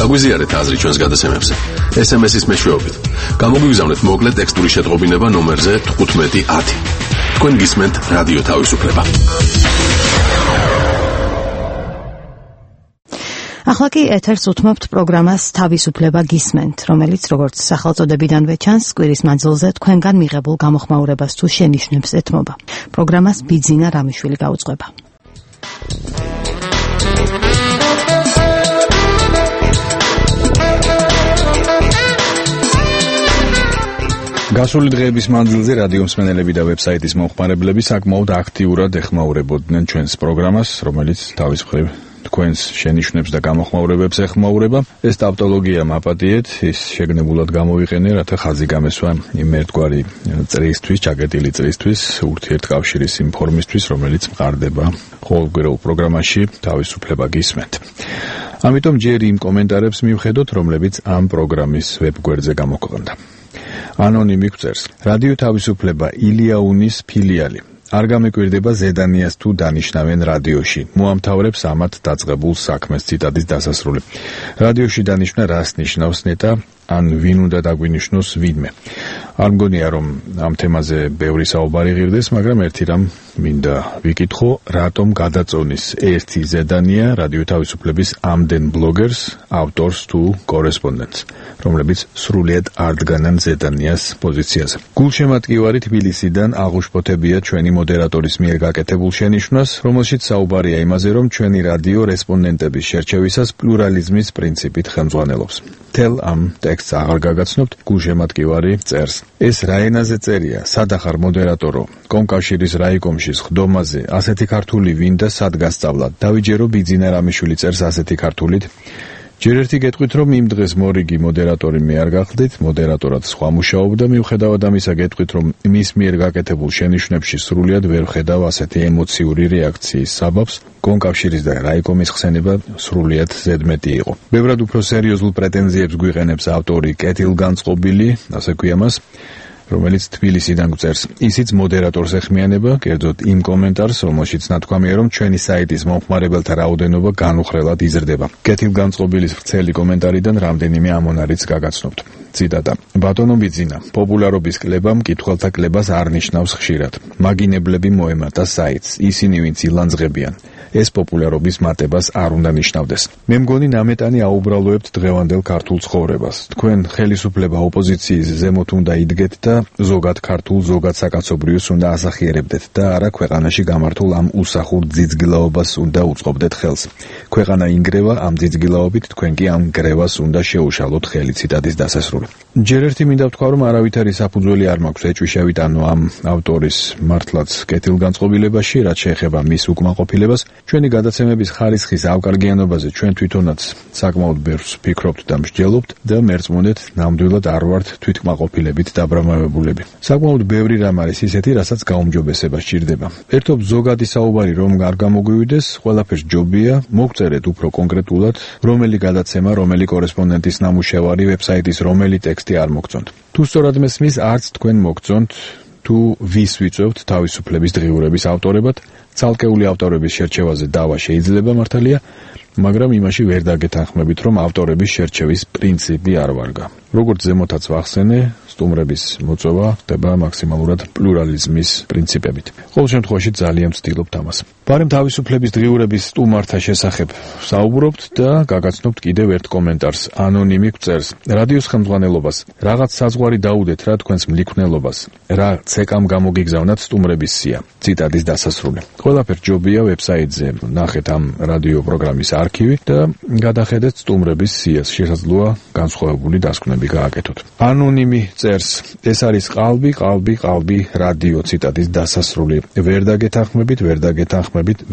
გაგვიზიარეთ აზრი ჩვენს გადაცემებზე. SMS-ის მეშვეობით. გამოგვიგზავნეთ მოკლე ტექსტური შეტყობინება ნომერზე 1510. თქვენ გისმენთ რადიო თავისუფლება. ახლა კი ეთერს უთმობთ პროგრამას თავისუფლება გისმენთ, რომელიც როგორც სახელწოდებიდანვე ჩანს, კვირის მანძილზე თქვენგან მიღებულ გამოხმაურებას თუ შენიშვნებს ეთმობა. პროგრამას ბიძინა რამიშვილი გაუძღვება. გასული დღეების მანძილზე რადიო მსმენელები და ვებსაიტის მომხმარებლები საკმაოდ აქტიურად ეხმაურებოდნენ ჩვენს პროგრამას, რომელიც თავის მხრივ თქვენს შენიშვნებს და გამოხმაურებებს ეხმაურება. ეს ტავტოლოგია მაპატიეთ, ის შეგნებულად გამოვიყენე, რათა ხაზი გამესვა იმ ერთგვარი წრისთვის, ჩაკეტილი წრისთვის, ურთიერთკავშირის იმ ფორმისთვის, რომელიც მყარდება ყოველკვირეულ პროგრამაში თავისუფლება გისმენთ. ამიტომ ჯერ იმ კომენტარებს მივხედოთ, რომლებიც ამ პროგრამის ვებგვერდზე გამოქვეყნდა. ანონიმი გვწერს: რადიო თავისუფლება ილიაუნის ფილიალი. არ გამეკვირდება ზედანიას თუ დანიშნავენ რადიოში. მოამთავრებს ამათ დაწყებულ საქმეს. ციტატის დასასრული. რადიოში დანიშნა რას ნიშნავს ნეტა? ან ვინ უნდა დაგვინიშნოს ვინმე. არ მგონია რომ ამ თემაზე ბევრი საუბარი ღირდეს, მაგრამ ერთი რამ მინდა ვიკითხო, რატომ გადაწონის ერთი ზედანია რადიო თავისუფლების ამდენ ბლოგერს, ავტორს თუ კორესპონდენტს, რომლებიც სრულიად არ დგანან ზედანიას პოზიციაზე. გულშემატკივარი თბილისიდან აღუშფოთებია ჩვენი მოდერატორის მიერ გაკეთებულ შენიშვნას, რომელშიც საუბარია იმაზე, რომ ჩვენი რადიო რესპონდენტების შერჩევისას პლურალიზმის პრინციპით ხელმძღვანელობს. თელ ამ ტექსტს აღარ გაგაცნობთ, გულშემატკივარი წერს: ეს რა ენაზე წერია? სადახარ მოდერატორო? კომკავშირის რაიკომში ხდომაზე ასეთი ქართული ვინ და სად გასწავლად? დავიჯერო ბიძინა რამიშვილი წერს ასეთი ქართულით. ჯერ ერთი გეტყვით, რომ იმ დღეს მორიგი მოდერატორი მე არ გახდით, მოდერატორად სხვა მუშაობდა, მიუხედავად ამისა გეტყვით, რომ მის მიერ გაკეთებულ შენიშვნებში სრულიად ვერ ვხედავ ასეთი ემოციური რეაქციის საბაბს. კომკავშირის და რაიკომის ხსენება სრულიად ზედმეტი იყო. ბევრად უფრო სერიოზულ პრეტენზიებს გვიყენებს ავტორი კეთილგანწყობილი, ასე ქვია მას, რომელიც თბილისიდან გვწერს. ისიც მოდერატორს ეხმიანება, კერძოდ იმ კომენტარს, რომელშიც ნათქვამია, რომ ჩვენი საიტის მომხმარებელთა რაოდენობა განუხრელად იზრდება. კეთილგანწყობილის ვრცელი კომენტარიდან რამდენიმე ამონარიც გაგაცნობთ. ციტატა: ბატონო ბიძინა, პოპულარობის კლება მკითხველთა კლებას არ ნიშნავს ხშირად. მაგინებლები მოემატა საიტს, ისინი ვინც ილანძღებიან. ეს პოპულარობის მატებას არ უნდა ნიშნავდეს. მე მგონი ნამეტანი აუბრალოებთ დღევანდელ ქართულ ცხოვრებას. თქვენ ხელისუფლება ოპოზიციის ზემოთ უნდა იდგეთ და ზოგად ქართულ, ზოგად საკაცობრიოს უნდა ასახიერებდეთ და არა ქვეყანაში გამართულ ამ უსახურ ძიძგილაობას უნდა უწყობდეთ ხელს. ქვეყანა ინგრევა, ამ ძიძგილაობით თქვენ კი ამ გრევას უნდა შეუშალოთ ხელი. ციტატის დასასრული. დასასრული. ჯერ ერთი მინდა ვთქვა, რომ არავითარი საფუძველი არ მაქვს ეჭვიშევით ანუ ამ ავტორის მართლაც კეთილგანწყობილებაში, რაც შეეხება მის უკმაყოფილებას. ჩვენი გადაცემების ხარისხის ავკარგიანობაზე ჩვენ თვითონაც საკმაოდ ბევრს ვფიქრობთ და მსჯელობთ და მერწმუნეთ, ნამდვილად არ ვართ თვითკმაყოფილებით დაბრამავებულები. საკმაოდ ბევრი რამ არის ისეთი, რასაც გაუმჯობესება სჭირდება. ერთობ ზოგადი საუბარი რომ არ გამოგვივიდეს, ყველაფერს ჯობია, მოგწერეთ უფრო კონკრეტულად, რომელი გადაცემა, რომელი კორესპონდენტის ნამუშევარი, ვებსაიტის რომელი ტექსტი არ მოგწონთ. თუ სწორად მესმის, არც თქვენ მოგწონთ, თუ ვის ვიწევთ თავისუფლების დღიურების ავტორებად, ცალკეული ავტორების შერჩევაზე დავა შეიძლება მართალია, მაგრამ იმაში ვერ დაგეთანხმებით, რომ ავტორების შერჩევის პრინციპი არ ვარგა. როგორც ზემოთაც ვახსენე, სტუმრების მოწვევა ხდება მაქსიმალურად პლურალიზმის პრინციპებით. ყოველ შემთხვევაში ძალიან ვცდილობთ ამას. ბარემ თავისუფლების დღიურების სტუმართა შესახებ საუბრობთ და გაგაცნობთ კიდევ ერთ კომენტარს. ანონიმი გვწერს: რადიოს ხელმძღვანელობას რაღაც საზღვარი დაუდეთ რა თქვენს მლიქვნელობას, რა ცეკამ გამოგიგზავნათ სტუმრების სია. ციტატის დასასრული. ყველაფერს ჯობია ვებსაიტზე ნახეთ ამ რადიო პროგრამის არქივი და გადახედეთ სტუმრების სიას. შესაძლოა განსხვავებული დასკვნები გააკეთოთ. ანონიმი წერს: ეს არის ყალბი რადიო. ციტატის დასასრული.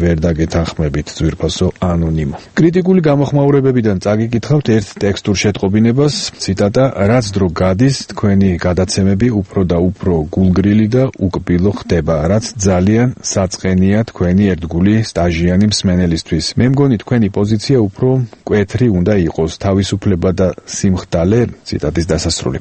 ვერ დაგეთანხმებით ძვირფასო ანონიმო. კრიტიკული გამოხმაურებებიდან წაგიკითხავთ ერთ ტექსტურ შეტყობინებას. ციტატა: რაც დრო გადის, თქვენი გადაცემები უფრო და უფრო გულგრილი და უკბილო ხდება, რაც ძალიან საწყენია თქვენი ერთგული სტაჟიანი მსმენელისთვის. მე მგონი თქვენი პოზიცია უფრო მკვეთრი უნდა იყოს, თავისუფლება და სიმხდალე. ციტატის დასასრული.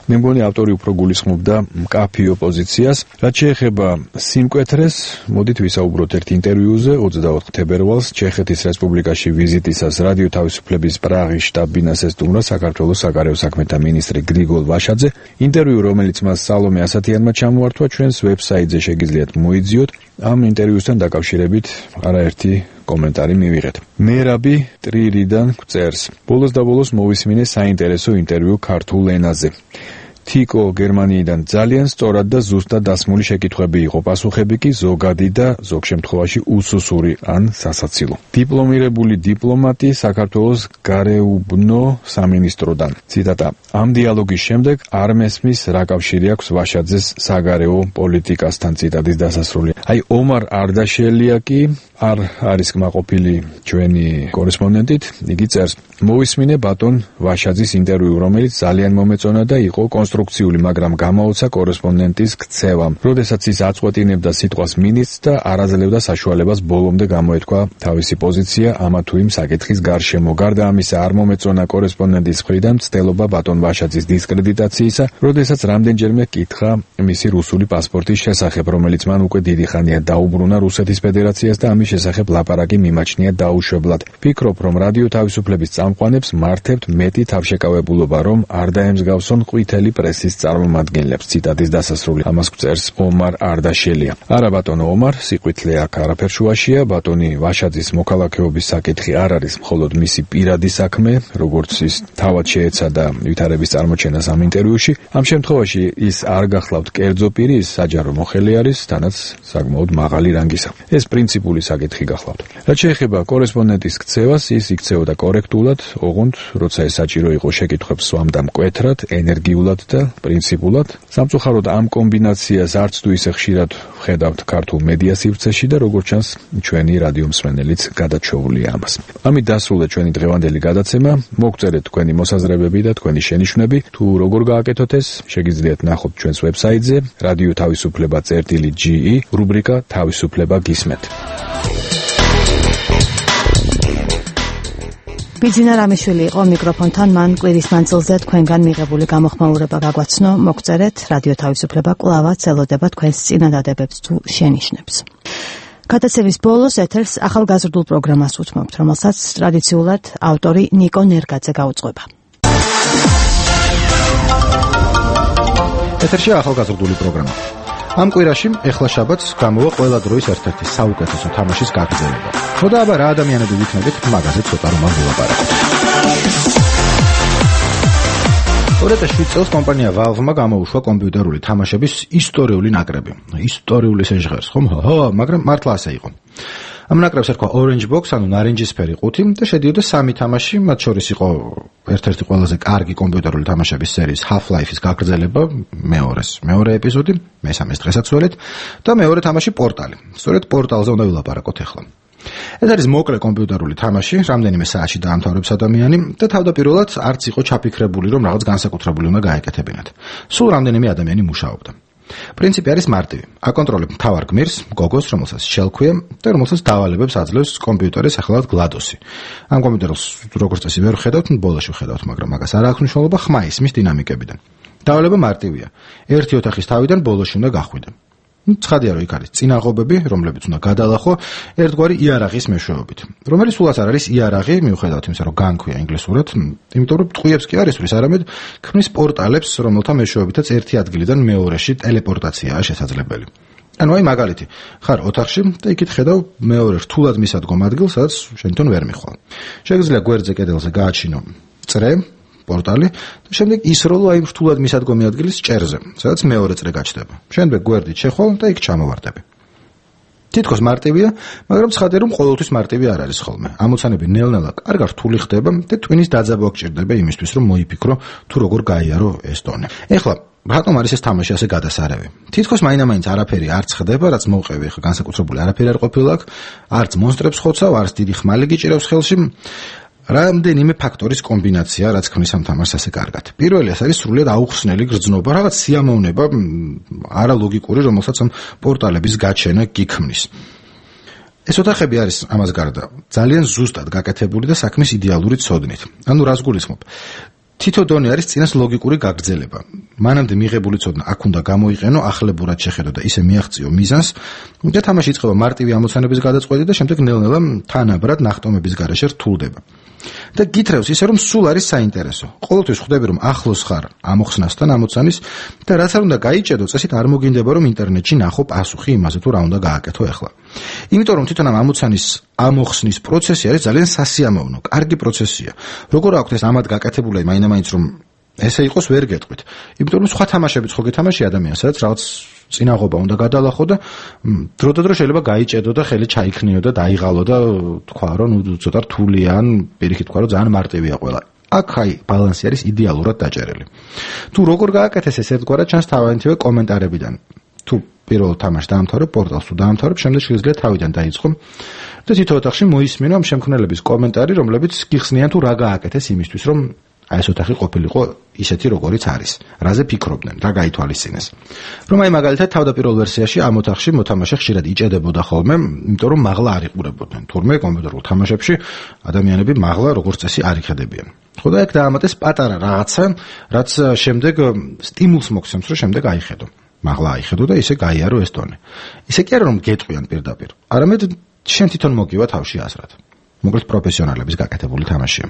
მე მგონი ავტორი უფრო გულისხმობდა მკაფიო პოზიციას. რაც შეეხება სიმკვეთრეს, მოდით ვისაუბროთ ერთ ინტერვიუზე 24 თებერვალს ჩეხეთის რესპუბლიკაში ვიზიტისას რადიო თავისუფლების პრაღის შტაბ-ბინას ესტუმრა საქართველოს საგარეო საქმეთა მინისტრი გრიგოლ ვაშაძე. ინტერვიუ, რომელიც მას სალომე ასათიანმა ჩამოართვა, ჩვენს ვებსაიტზე შეგიძლიათ მოიძიოთ. ამ ინტერვიუსთან დაკავშირებით არაერთი კომენტარი მივიღეთ. მერაბი ტრირიდან გვწერს: ბოლოს და ბოლოს მოვისმინე საინტერესო ინტერვიუ ქართულ ენაზე. თიკო გერმანიიდან ძალიან სწორად და ზუსტად დასმული შეკითხვები იყო, პასუხები კი ზოგადი და ზოგ შემთხვევაში უსუსური ან სასაცილო. დიპლომირებული დიპლომატი საქართველოს გარეუბნო სამინისტროდან. ციტატა: ამ დიალოგის შემდეგ არ მესმის რა კავშირი აქვს ვაშაძეს საგარეო პოლიტიკასთან. ციტატის დასასრული. აი ომარ არდაშელია კი არ არის კმაყოფილი ჩვენი კორესპონდენტით. იგი წერს: მოვისმინე ბატონ ვაშაძის ინტერვიუ, რომელიც ძალიან მომეწონა და იყო კონსტრუქციული, მაგრამ გამოუცა კორესპონდენტის ქცევამ. როდესაც ის აწყვეტინებდა სიტყვას მინისტრს და არაძლევდა საშუალებას ბოლომდე გამოეთქვა თავისი პოზიცია ამა თუ იმ საკითხის გარშემო. გარდა ამისა, არ მომეწონა კორესპონდენტის მხრიდან მცდელობა ბატონ ვაშაძის დისკრედიტაციისა, როდესაც რამდენჯერმე კითხა მისი რუსული პასპორტის შესახებ, რომელიც მან უკვე დიდი ხანია დაუბრუნა რუსეთის ფედერაციას და ამის შესახებ ლაპარაკი მიმაჩნია დაუშვებლად. ფიქრობ, რომ რადიო თავისუფლების წამყვანებს მართებთ მეტი თავშეკავებულობა, რომ არ დაემსგავსონ ყვითელი პრესის წარმომადგენლებს. ციტატის დასასრული. ამას გვწერს ომარ არდაშელია. არა ბატონო ომარ, სიყვითლე აქ არაფერ შუაშია. ბატონი ვაშაძის მოქალაქეობის საკითხი არ არის მხოლოდ მისი პირადი საქმე, როგორც ის თავად შეეცადა ვითარების წარმოჩენას ამ ინტერვიუში. ამ შემთხვევაში ის არ გახლავთ კერძო პირი, ის საჯარო მოხელი არის, თანაც საკმაოდ მაღალი რანგისა. ეს პრინციპული საკითხი გახლავთ. რაც შეეხება კორესპონდენტის ქცევას, ის იქცეოდა კორექტულად, ოღონდ როცა ეს საჭირო იყო, შეკითხვებს სვამდა მკვეთრად, ენერგიულად და პრინციპულად. სამწუხაროდ ამ კომბინაციას არც თუ ისე ხშირად ვხედავთ ქართულ მედია სივრცეში და როგორც ჩანს, ჩვენი რადიო მსმენელიც გადაჩვეულია ამას. ამით დასრულდა ჩვენი დღევანდელი გადაცემა. მოგწერეთ თქვენი მოსაზრებები და თქვენი შენიშვნები. თუ როგორ გააკეთოთ ეს, შეგიძლიათ ნახოთ ჩვენს ვებსაიტზე radio-ge რუბრიკა თავისუფლება გისმენთ. ბიძინა რამიშვილი იყო მიკროფონთან, მან კვირის მანძილზე თქვენგან მიღებული გამოხმაურება გაგვაცნო. მოგწერეთ, რადიო თავისუფლება კვლავაც ელოდება თქვენს წინადადებებს თუ შენიშვნებს. გადაცემის ბოლოს ეთერს ახალგაზრდულ პროგრამას უთმობთ, რომელსაც ტრადიციულად ავტორი ნიკო ნერგაძე გაუძღვება. ეთერში ახალგაზრდული პროგრამა. ამ კვირაში ეხლა შაბათს გამოვა ყველა დროის ერთ-ერთი საუკეთესო თამაშის გაგრძელება. ხოდა აბა რა ადამიანები ვიქნებით, მაგაზე ცოტა რომ ვილაპარაკოთ. 2007 წელს კომპანია Valve-მა გამოუშვა კომპიუტერული თამაშების ისტორიული ნაკრები. ისტორიული შეჟღერს, ხომ? მაგრამ მართლა ასე იყო. ამ ნაკრებს ერქვა Orange Box, ანუ ნარინჯისფერი ყუთი და შედიოდა 3 თამაში, მათ შორის იყო ერთ-ერთი ყველაზე კარგი კომპიუტერული თამაშების სერიის Half-Life-ის გაგრძელება, მეორე ეპიზოდი, მესამეს დღესაც ველით და მეორე თამაში პორტალი. სწორედ პორტალზე უნდა ვილაპარაკოთ ახლა. ეს არის მოკლე კომპიუტერული თამაში, რამდენიმე საათში დაამთავრებს ადამიანი და თავდაპირველად არც იყო ჩაფიქრებული, რომ რაღაც განსაკუთრებული უნდა გაეკეთებინათ. სულ რამდენიმე ადამიანი მუშაობდა. პრინციპი არის მარტივი. აკონტროლებ მთავარ გმირს, გოგოს, რომელსაც შელქვია და რომელსაც დავალებებს აძლევს კომპიუტერის ახალად GLaDOS-ი. ამ კომპიუტერს როგორც წესი ვერ ხედავთ, ბოლოში ვხედავთ, მაგრამ მაგას არ აქვს მნიშვნელობა ხმა ისმის დინამიკებიდან. დავალება მარტივია. ერთი ოთახის თავიდან ბოლოში უნდა გახვიდე. ცხადია, რომ იქ არის წინაღობები, რომლებიც უნდა გადალახო ერთგვარი იარაღის მეშვეობით. რომელიც სულაც არ არის იარაღი, მიუხედავად იმისა, რომ განქვია ინგლისურად, იმიტომ რომ ტყუებს კი არ ისვრის, არამედ ქმნის პორტალებს, რომელთა მეშვეობითაც ერთი ადგილიდან მეორეში ტელეპორტაციაა შესაძლებელი. ანუ აი მაგალითი, ხარ ოთახში და იქით ხედავ მეორე რთულად მისადგომ ადგილს, სადაც შენ თვითონ ვერ მიხვალ. შეგიძლია გვერდზე კედელზე გააჩინო წრე პორტალი და შემდეგ ისროლო აი რთულად მისადგომი ადგილის ჭერზე, სადაც მეორე წრე გაჩნდება. შემდეგ გვერდით შეხვალ და იქ ჩამოვარდები. თითქოს მარტივია, მაგრამ ცხადია, რომ ყოველთვის მარტივი არ არის ხოლმე. ამოცანები ნელ-ნელა კარგად რთული ხდება და ტვინის დაძაბვა გჭირდება იმისთვის, რომ მოიფიქრო თუ როგორ გაიარო ეს ტონე. ეხლა რატომ არის ეს თამაში ასე გადასარევი? თითქოს მაინამაინც არაფერი არც ხდება, რაც მოვყევი, ეხლა განსაკუთრებული არაფერი არ ყოფილა აქ, არც მონსტრებს ხოცავ, არც დიდი ხმალი გიჭირავს ხელში. რამდენიმე ფაქტორის კომბინაცია, რაც ქმნის ამ თამაშს ასე კარგად. პირველი ეს არის სრულიად აუხსნელი გრძნობა, რაღაც სიამოვნება, არალოგიკური, რომელსაც ამ პორტალების გაჩენა გიქმნის. ეს ოთახები არის ამას გარდა ძალიან ზუსტად გაკეთებული და საქმის იდეალური ცოდნით. ანუ რას გულისხმობ? თითო დონე არის წინას ლოგიკური გაგრძელება. მანამდე მიღებული ცოდნა აქ უნდა გამოიყენო, ახლებურად შეხედო და ისე მიაღწიო მიზანს და თამაში იწყება მარტივი ამოცანების გადაწყვეტით და შემდეგ ნელ-ნელა თანაბრად ნახტომების გარეშე რთულდება. და გითხრევს ისე, რომ სულ არის საინტერესო. ყოველთვის ხვდები, რომ ახლოს ხარ ამოხსნასთან ამოცანის და რაც არ უნდა გაიჭედო, წესით არ მოგინდება, რომ ინტერნეტში ნახო პასუხი იმაზე, თუ რა უნდა გააკეთო ახლა. იმიტომ რომ თვითონ ამ ამოცანის ამოხსნის პროცესი არის ძალიან სასიამოვნო, კარგი პროცესია. როგორ აქვს ეს ამად გაკეთებული, მაინც რომ ესე იყოს ვერ გეტყვით. იმიტომ რომ სხვა თამაშებიც ხო გეთამაში ადამიანს, სადაც რაღაც წინაღობა უნდა გადალახო და დროდადრო შეიძლება გაიჭედო და ხელი ჩაიქნიო და დაიღალო და თქვა რომ ცოტა რთულია ან პირიქით თქვა რომ ძალიან მარტივია ყველა. აქ აი ბალანსი არის იდეალურად დაჭერილი. თუ როგორ გააკეთეს ეს ერთგვარად ჩანს თავიანთივე კომენტარებიდან. თუ პირველ თამაშს დაამთავრებ, პორტალს თუ დაამთავრებ, შემდეგ შეიძლება თავიდან დაიწყო და თითო ოთახში მოისმინო ამ შემქმნელების კომენტარი, რომლებიც გიხსნიან თუ რა გააკეთეს იმისთვის, რომ აი ეს ოთახი ყოფილიყო ისეთი როგორიც არის. რაზე ფიქრობდნენ, რა გაითვალისწინეს. რომ აი მაგალითად თავდაპირველ ვერსიაში ამ ოთახში მოთამაშე ხშირად იჭედებოდა ხოლმე, იმიტომ რომ მაღლა არ იყურებოდნენ. თურმე კომპიუტერულ თამაშებში ადამიანები მაღლა როგორც წესი არ იხედებიან. ხო და ეგ დაამატეს პატარა რაღაცა, რაც შემდეგ სტიმულს მოგცემს, რომ შემდეგ აიხედო. მაღლა აიხედო და ისე გაიარო ეს ტონე. ისე კი არა რომ გეტყვიან პირდაპირ, არამედ შენ თვითონ მოგივა თავში აზრად. მოკლედ პროფესიონალების გაკეთებული თამაშია.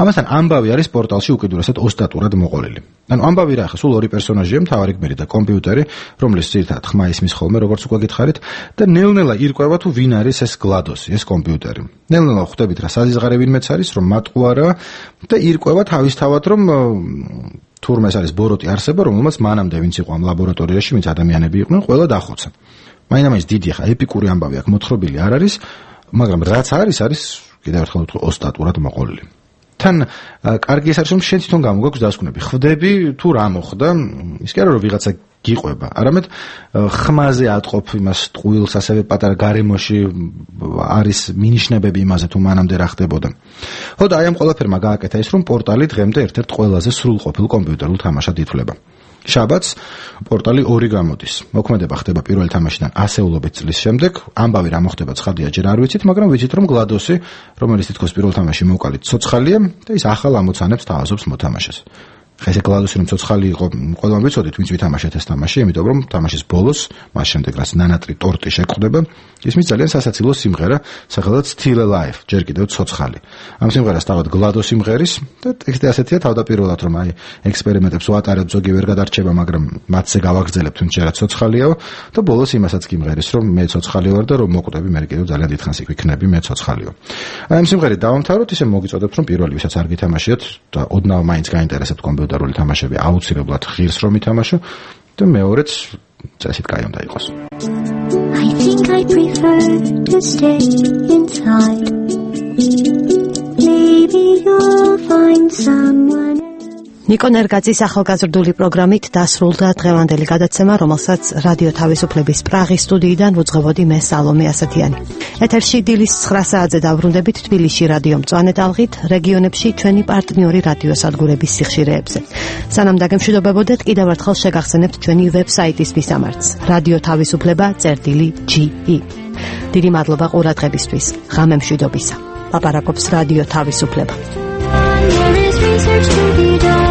ამასთან ამბავი არის პორტალში უკიდურესად ოსტატურად მოყოლილი. ანუ ამბავი რა, სულ ორი პერსონაჟია, მთავარი გმირი და კომპიუტერი, რომლის ძირითადად ხმა ისმის ხოლმე, როგორც უკვე გითხარით, და ნელ-ნელა ირკვევა თუ ვინ არის ეს GLaDOS-ი, ეს კომპიუტერი. ნელ-ნელა ხვდებით რა საზღარი ვინმეც არის, რომ მატყუ არა და ირკვევა თავისთავად, რომ თურმე ეს არის ბოროტი არსება, რომელმაც მანამდე ვინც იყო ამ ლაბორატორიაში, ვინც ადამიანები იყვნენ, ყველა დახოცა. მაინც დიდი ხა ეპიკური ამბავი აქ მოთხრობილი არ არის, მაგრამ რაც არის კიდევ ერთხელ ვთქვი ოსტატურად მოყოლილი. თან კარგი ეს არის რომ შენ თვითონ გამოგაქვს დასკვნები. ხვდები თუ რა მოხდა, ის კი არა რომ ვიღაცა გიყვება, არამედ ხმაზე ატყობ იმას ტყუილს, ასევე პატარა გარემოში არის მინიშნებები იმაზე თუ მანამდე რა ხდებოდა. ხო და აი ამ ყველაფერმა გააკეთა ის რომ პორტალი დღემდე ერთ-ერთ ყველაზე სრულყოფილ კომპიუტერულ თამაშად ითვლება. შაბათს პორტალი 2 გამოდის. მოქმედება ხდება პირველი თამაშიდან ასეულობით წლის შემდეგ. ამბავი რა მოხდება ცხადია ჯერ არ ვიცით, მაგრამ ვიცით რომ GLaDOS-ი, რომელიც თითქოს პირველ თამაში მოვყალით, ცოცხალია და ის ახალ ამოცანებს თავაზობს მოთამაშეს. ხა ეს GLaDOS-ი რომ ცოცხალი იყო, ყველამ ვიცოდით, ვინც ვითამაშეთ ეს თამაში, იმიტომ რომ თამაშის ბოლოს, მას შემდეგ რაც ნანატრი ტორტი შეგხვდება, ისმის ძალიან სასაცილო სიმღერა, სახელად Still Alive, ჯერ კიდევ ცოცხალი. ამ სიმღერას თავად GLaDOS-ი მღერის და ტექსტი ასეთია თავდაპირველად, რომ აი ექსპერიმენტებს ვატარებ, ზოგი ვერ გადარჩება, მაგრამ მათზე გავაგრძელებ, თუნდაც რა ცოცხალიაო და ბოლოს იმასაც გიმღერის, რომ მე ცოცხალი ვარ და რომ მოკვდები, მე კიდევ ძალიან დიდხანს იქ ვიქნები, მე ცოცხალიო. აი ამ სიმღერით დავამთავროთ, ისე მოგიწოდებთ, რომ პირველი ვისაც არ გითამაშიათ და ოდნავ მაინც გაინტერესებთ კომპიუტერული თამაშები, აუცილებლად ღირს რომ ითამაშო და მეორეც წესით კაი უნდა იყოს. I think I prefer to stay inside. Maybe you'll find someone. ნიკო ნერგაძის ახალგაზრდული პროგრამით დასრულდა დღევანდელი გადაცემა, რომელსაც რადიო თავისუფლების პრაღის სტუდიიდან ვუძღვებოდი მე სალომე ასათიანი. ეთერში დილის 9 საათზე დავრუნდებით თბილისში რადიო მწვანე ტალღით, რეგიონებში ჩვენი პარტნიორი რადიოსადგურების სიხშირეებზე. სანამ დაგემშვიდობებოდეთ, კიდევ ერთხელ შეგახსენებთ ჩვენი ვებსაიტის მისამართს: radio-ge. დიდი მადლობა ყურადღებისთვის. ღამემშვიდობისა. ლაპარაკობს რადიო თავისუფლება. There is research to be done.